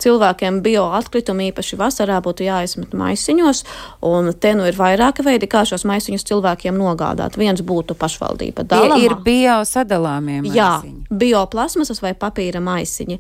Cilvēkiem bioatkritumi īpaši vasarā būtu jāizmet maisiņos, un te ir vairāki veidi, kā šos maisiņus cilvēkiem nogādāt. Viens būtu pašvaldība dalāmā. Ir biosadalāmie maisiņi. Jā, bioplasmasas vai papīra maisiņi.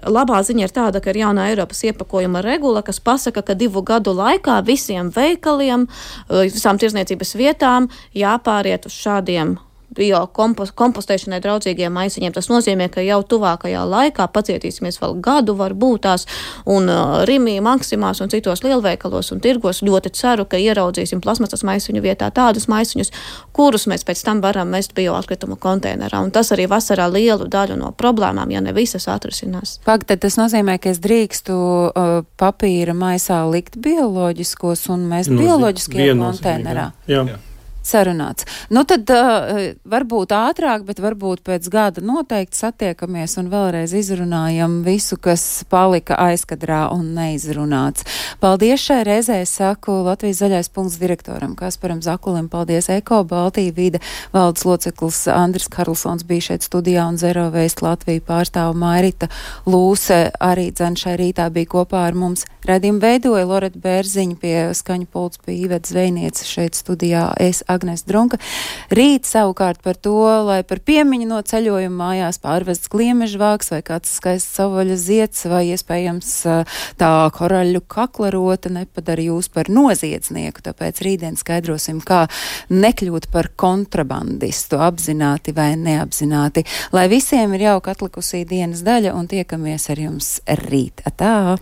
Labā ziņa ir tāda, ka ir jaunā Eiropas iepakojuma regula, kas pasaka, ka 2 gadu laikā visiem veikaliem, visām tirzniecības vietām jāpāriet uz šādiem kompostēšanai draudzīgiem maisiņiem. Tas nozīmē, ka jau tuvākajā laikā pacietīsimies vēl gadu, varbūt tās, un Rimī, Maksimās un citos lielveikalos un tirgos ļoti ceru, ka ieraudzīsim plasmasas maisiņu vietā tādus maisiņus, kurus mēs pēc tam varam mest bioatkritumu konteinerā. Un tas arī vasarā lielu daļu no problēmām, ja ne visas, atrisinās. Tad tas nozīmē, ka es drīkstu papīra maisā likt bioloģiskos un mest bioloģiskajā konteinerā. Jā. Sarunāts. Tad varbūt ātrāk, bet varbūt pēc gada noteikti satiekamies un vēlreiz izrunājam visu, kas palika aizkadrā un neizrunāts. Paldies šai reizē, saku Latvijas zaļais punkts direktoram Kasparam Zakulim, paldies Eko Baltija vide valdes loceklis Andris Karlsons bija šeit studijā un Zero Waste Latviju pārstāva Mairita Lūse arī šai rītā bija kopā ar mums. Raidījumu veidoja Loreta Bērziņa, pie skaņu pults bija Iveta Zvejniece šeit studijā, es Agnes Drunka. Rīt savukārt par to, lai par piemiņu no ceļojuma mājās pārvests gliemežvāks vai kāds skaists savaļa zieds vai iespējams tā koraļu kaklarota nepadara jūs par noziedznieku, tāpēc rītdien skaidrosim, kā nekļūt par kontrabandistu apzināti vai neapzināti. Lai visiem ir jauka atlikusī dienas daļa un tiekamies ar jums rīt. Atā!